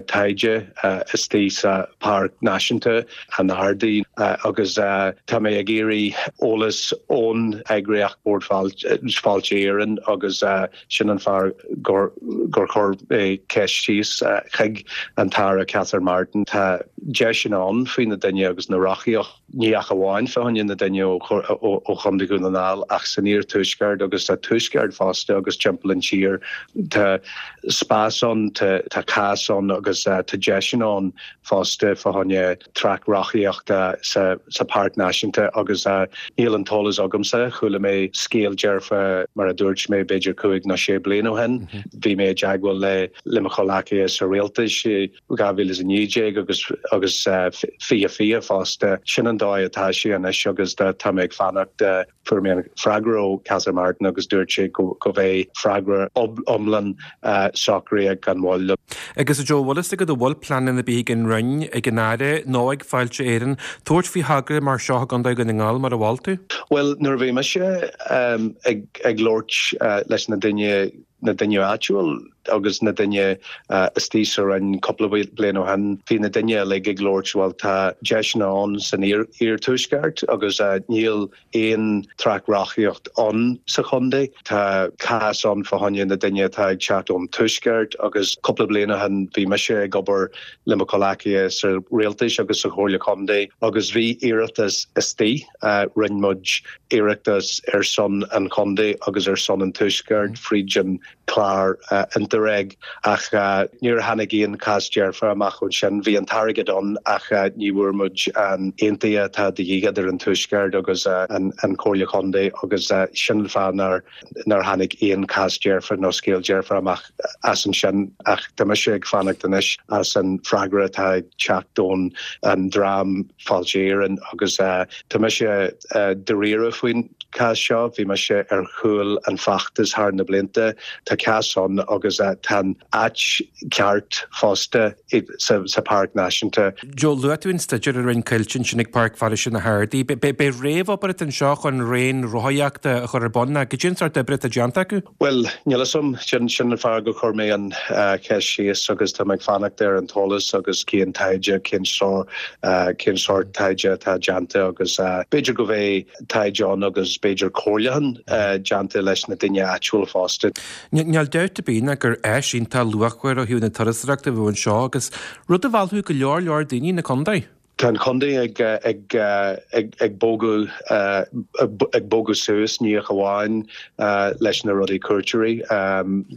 taighde istigh sa Páirc Náisiúnta an Ardaí agus tá mé ag iarraidh eolas ón eagraíocht Bord Fáilte Éireann agus sin an fáth gur gur chuir mé ceist síos chuig an tAire Catherine Martin. Tá deiseanna ann faoi na daoine agus na rothaíocht ní ach amháin fá choinne na daoine ó Chontae Dhún na nGall ach san iarthuaisceart agus sa tuaisceart fosta agus timpeall an tír. Tá spás ann, tá cás ann agus tá deiseanna ann fosta fá choinne traic rothaíochta sa sa Páirc Náisiúnta agus níl an t-eolas agamsa, chuala mé scéal dearfa mar a dúirt mé b'fhéidir cúig nó sé bliain ó shin. Bhí mé i dteagmháil le le mo chomhghleacaithe sa rialtas dhá mhíle is a naoi déag agus agus fiche fiche fosta. Sin an dóigh atá sé anois agus tá mé ag fanacht fuair mé an freagra ó Catherine Martin agus dúirt sé go go bheidh freagra iomlán socraithe gan mhoill. Agus a Joe, bhfuil fhios agat an bhfuil pleananna ar bith ag an Roinn, ag an Aire nó ag Fáilte Éireann tabhairt faoi thogra mar seo i gContae Dhún na nGall mar a mhol tú? Bhuel, nuair a bhí mise ag ag labhairt leis na daoine na daoine áitiúil agus na daoine istigh sa Roinn cúpla bliain ó shin, bhí na daoine uilig ag labhairt bhuel tá deiseanna ann san iarthuaisceart agus níl aon traic rothaíocht ann sa chontae. Tá cás ann fá choinne na daoine atá ag teacht ón tuaisceart agus cúpla bliain ó shin bhí mise ag obair le mo chomhghleacaithe sa rialtas agus sa Chomhairle Contae agus bhí iarratas istigh rinne muid iarratas ar son an chontae agus ar son an tuaisceart fríd an clár Interreg ach níor tháinig aon chás dearfa amach ón sin. Bhí an t-airgead ann ach ní bhfuair muid an aontaithe atá de dhíth idir an tuaisceart agus an Chomhairle Contae agus sin an fáth nár nár tháinig aon chás dearfa nó scéal dearfa amach as ansin ach tá mise ag fanacht anois as an freagra atá ag teacht ón an dream Fáilte Éireann agus tá mise dáiríre faoin cás seo, bhí mise ar chúl an feachtas thar na blianta, tá cás ann agus tá an áit ceart fosta sa, sa Páirc Náisiúnta. Joe, luaigh tú an staidéar a rinne Coillte ansin ag Páirc Foraoise na hArdaí. B'é réamhobair atá anseo chun raon rothaíochta a chur ar bun ná goidé an sórt oibre atá déanta acu? Bhuel, níl fhios a'm, sin sin an fáth gur chuir mé an cheist síos agus tá mé ag fanacht ar an t-eolas agus cén taighde, cén sórt cén sórt taighde atá déanta agus b'fhéidir go bheidh taighde ann agus b'fhéidir comhairliúchán déanta leis na daoine áitiúil fosta. Níl dabht ar bith ná gur áis iontach luachmhar ó thaobh na turasóireachta a bheadh anseo agus rud a mheallfadh go leor leor daoine na contae. Tá an contae ag ag ag ag bogadh ag bogadh suas ní hamháin leis na rudaí cuairteoirí.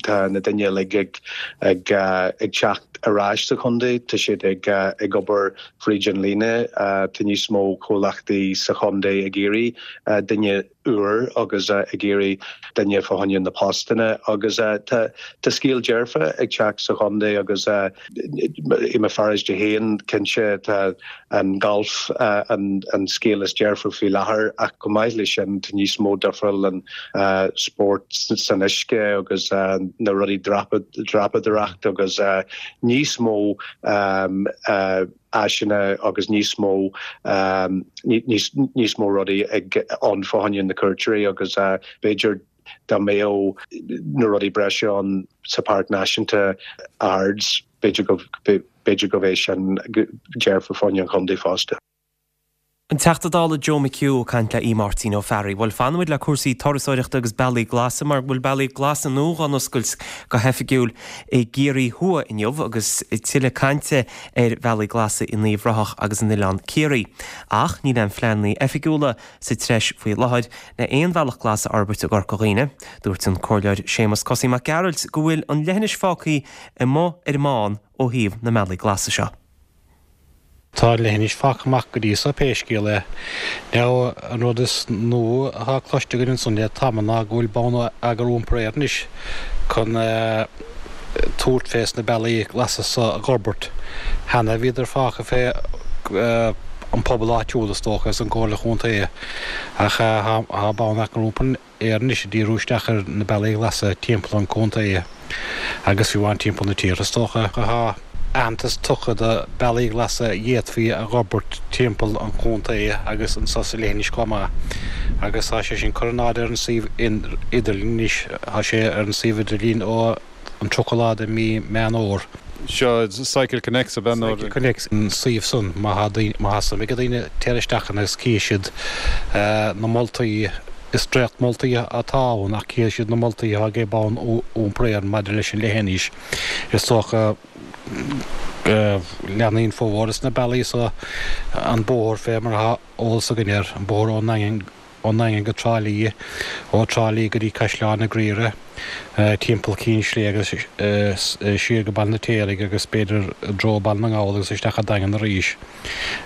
Tá na daoine uilig ag ag ag teacht ar ais sa chontae, tá siad ag ag obair fríd an líne, tá níos mó comhlachtaí sa chontae ag iarraidh daoine úr agus ag iarraidh daoine fá choinne na postanna agus tá tá scéal dearfa ag teacht sa chontae agus i mo pharóiste féin cinnte tá an golf an an scéal is dearfa faoi láthair ach chomh maith leis sin tá níos mó difriúil an spórt san uisce agus na rudaí dreapadóireacht agus níos mó áiseanna agus níos mó níos mó rudaí ag ann fá choinne na cuairteoirí agus b'fhéidir dá mbeadh na rudaí breise ann sa Páirc Náisiúnta Ards b'fhéidir go b'fhéidir go bheadh sin dearfa fá choinne an chontae fosta. An Teachta Dála Joe McHugh ag caint le Aodh Máirtín Ó Fearraigh. Bhuel fanfaimid le cúrsaí turasóireachta agus bealaí glasa mar bhfuil bealaí glasa nua á n-oscailt go hoifigiúil i gCiarraí Thuaidh inniu agus tuilleadh cainte ar bhealaí glasa in Uíbh Ráthach agus in Oileán Ciarraí. Ach níl aon phleananna oifigiúla sa treis faoi láthair le aon bhealach glas a fhorbairt i gCorca Dhuibhne. Dúirt an Comhairleoir Séamus Cosaí Mac Gearailt go bhfuil an leithinis fágtha amuigh ar an mbán ó thaobh na mbealaí glasa seo. Tá an leithinis fágtha amach go dtí so pé scéal é. Now an rud is nua atá cloiste againn ansan le tamall ná go bhfuil Bonneagar Iompair Éireann anois chun tabhairt fés na bealaí glasa so a dh'fhorbairt. Cheana bhíodar fágtha fé an pobal áitiúil is dócha is an Comhairle Chontae ach tá Bonneagar Iompair Éireann anois ag díriú isteach ar na bealaí glasa timpeall an chontae agus fiú amháin timpeall na tíre is dócha. Tá aitheantas tugtha do bealaí glasa a d'fhéadfaí a dh'fhorbairt timpeall an chontae agus anso sa leithinis chomh maith agus tá sé sin curtha in airde ar an suíomh idirlín anois. Tá sé ar an suíomh idirlín ó an tríocha lá de mí Meán Fhómhair. Seo Cycle Connects ab ea nó? Cycle Connects an suíomh san má tá daoine, má tá suim ag daoine téir isteach ann agus cífidh siad na moltaí, is dréacht moltaí atá ann ach cífidh siad na moltaí atá ag Bonn Iompair Éireann maidir leis an leithinis. Is dócha go leanfaidh formhór de na bealaí so an bóthar fé mar atá eolas againn air, an bóthar ón nDaingean, ón nDaingean go Trá Lí, ó Trá Lí go dtí Caisleán na Graíre, timpeall Cinn Sléibhe agus siar go Baile an Fheirtéaraigh agus b'fhéidir i dtreo Baile na nGall agus isteach an Daingean arís.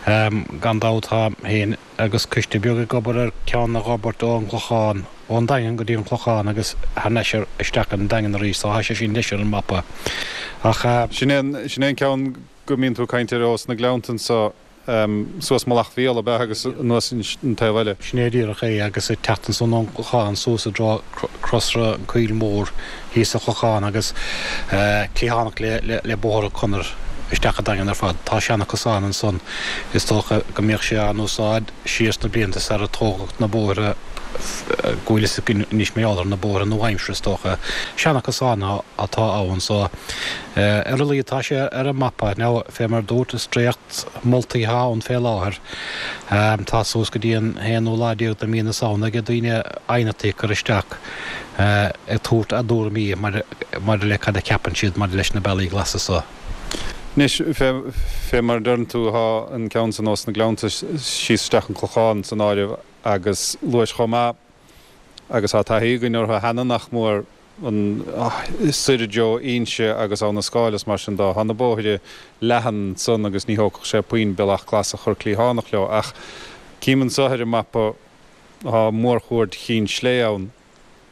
Gan dabht táim féin agus coiste beag ag obair ar ceann a dh'fhorbairt ón gClochán, ón Daingean go dtí an Clochán agus thar n-ais isteach an Daingean arís, so tá sé sin leis ar an mapa. Ach. Sin é an, sin é an ceann go mbíonn tú ag caint air ós na Gleannta anso. Suas Mullach Mhíol ab ea agus anuas an taobh eile. Sin é díreach é agus ag teacht ansan ón gClochán suas i dtreo Crosra an Choill Mhór thíos sa Chlochán agus cliathánach le Bóthar Conair isteach an Daingean ar fad. Tá seana-chosán ansan. Is dócha go mbíodh sé á n-úsáid siar sna blianta sar a tógadh na bóithre go bhfuil fhios againn anois mar gheall air, na bóithre nua-aimseartha is dócha. Seana-chosán atá ann so ar a laghad tá sé ar an mapa. Now fé mar dúrt is dréacht moltaí atá ann fé láthair. Tá suas go dtí an haonú lá déag de mí na Samhna ag daoine aighneachtaí a chur isteach ag tabhairt a dtuairimí maidir le cad a cheapann siad maidir leis na bealaí glasa so. Anois, fé mar a deireann tú, tá an ceann san ós na Gleannta síos isteach an Clochán san áireamh agus luais chomh maith agus tá taithí againn orthu cheana nach mór, an soir i dtreo Inse agus Abha na Scáil is mar sin dó. Tá na bóithre leathan ansan agus ní thógfadh sé puinn bealach glas a chur cliathánach leo ach cím anso ar an mapa tá mórchuaird Chinn Slé ann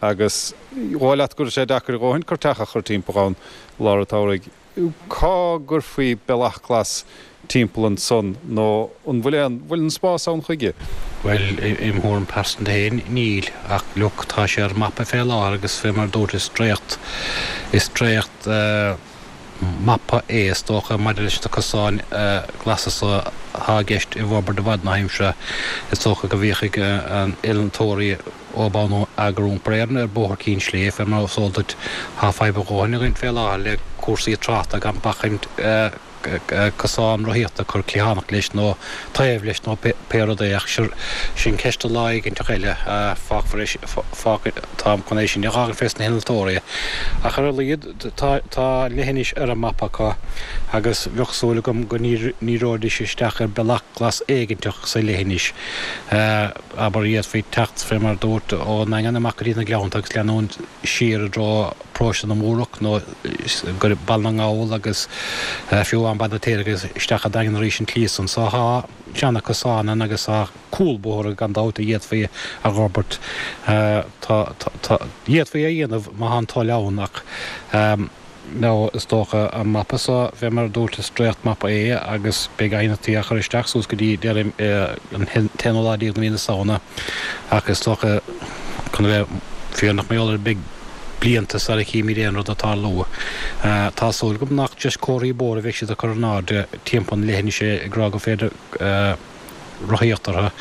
agus dhóigh leat go raibh sé deacair a dhóthain cur teach a chur timpeall ann lár an tsamhraidh. Cá gcuirfí bealach glas timpeall ansan nó an bhfuil aon, bhfuil an spás ann chuige? Bhuel, im thuairim pearsanta féin, níl. Ach look, tá sé ar an mapa fé láthair agus fé mar a dúirt is dréacht, is dréacht mapa é is dócha maidir leis na cosáin glasa so atá i gceist i bhforbairt i bhfad na haimsire. Is dócha go bhféachfaidh an oiliúntóirí ó Bonneagar Iompair Éireann ar Bhóthar Cinn Sléibhe, fé mar is eol duit tá fadhb a dhóthain againn fé láthair le cúrsaí tráchta gan bacaint cosán rothaíochta a chur cliathánach leis nó taobh leis nó pé rud é ach sin ceist do lá éiginteach eile. Fágfar é, fág, táim chun é sin a fhágáil fés na hinnealtóirí. Ach ar a laghad tá, tá leithinis ar an mapa acu agus bheadh súil agam go ndíreoidís isteach ar bealach glas éiginteach sa leithinis. Abair d'fhéadfaí teacht fé mar dúrt ón nDaingean amach go dtí na Gleannta agus leanúint siar i dtreo Paróiste na Múrach nó go Baile na nGall agus fiú amháin Baile an Fheirtéaraigh agus isteach a' Daingean arís an tslí san. So tá seana cosáin ann agus tá cúl bóthair gan dabht a d'fhéadfaí a dh'fhorbairt. Tá, tá, d'fhéadfaí é a dhéanamh má tá an toil ann ach nó is dócha an mapa so, fé mar a dúirt, is dréacht-mapa é agus beidh aighneachtaí á chur isteach suas go dtí deireadh an t-aonú lá déag de mhí na Samhna ach is dócha, chun a bheith fírinneach mar gheall air, beidh blianta sara chímid aon rud ag tarlú. Tá súil agam nach just comharthaí bóthair a bheidh siad ag cur in airde timpeall na leithinise ag rá gur féidir rothaíocht orthu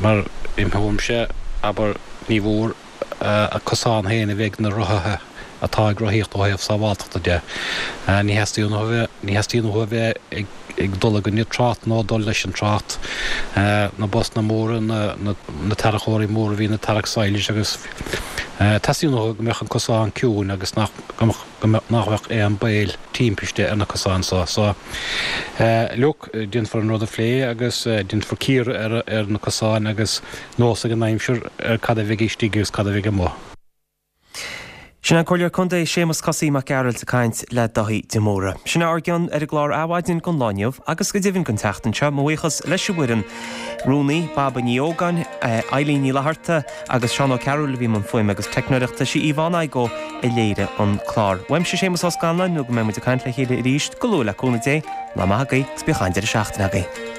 mar im thuairimse, abair, ní mhór a cosán féin a bheith ag na rothaithe atá ag rothaíocht ó thaobh sábháltachta de. Ní theastaíonn uathu a bheith, ní theastaíonn uathu a bheith ag ag dul i gcoinne trácht nó dul leis an trácht. Na busanna móra, na na tarracóirí móra a bhíonn ag tarrac sadhlais agus teastaíonn uathu go mbeadh an cosán ciúin agus nach go mbeadh nach bheadh aon baol timpiste ar na cosáin so. So look, déanfar an rud a phlé agus déanfar cíoradh ar ar na cosáin agus nós ag an aimsir ar cad a bheidh istigh agus cad a bheidh amuigh. Sin an Comhairleoir Contae Séamus Cosaí Mac Gearailt ag caint le Daithí de Mórdha. Sin é ár gcion ar an gclár Adhmhaidin don lá inniu agus go deimhin don tseachtain seo. Mo bhuíochas leis an bhfoireann, Rúnaí, Baba Ní Ógáin, Eileen Ní Fhlatharta agus Seán Ó Cearúil a bhí i mbun fuaime agus teicneoireachta, sí Yvonne Igoe a léirigh an clár. Uaimse Séamus Ó Scanláin nó go mbeidh muid ag caint le chéile arís go luath le cúnamh Dé, lá maith agaibh agus bíodh an-deireadh seachtaine agaibh.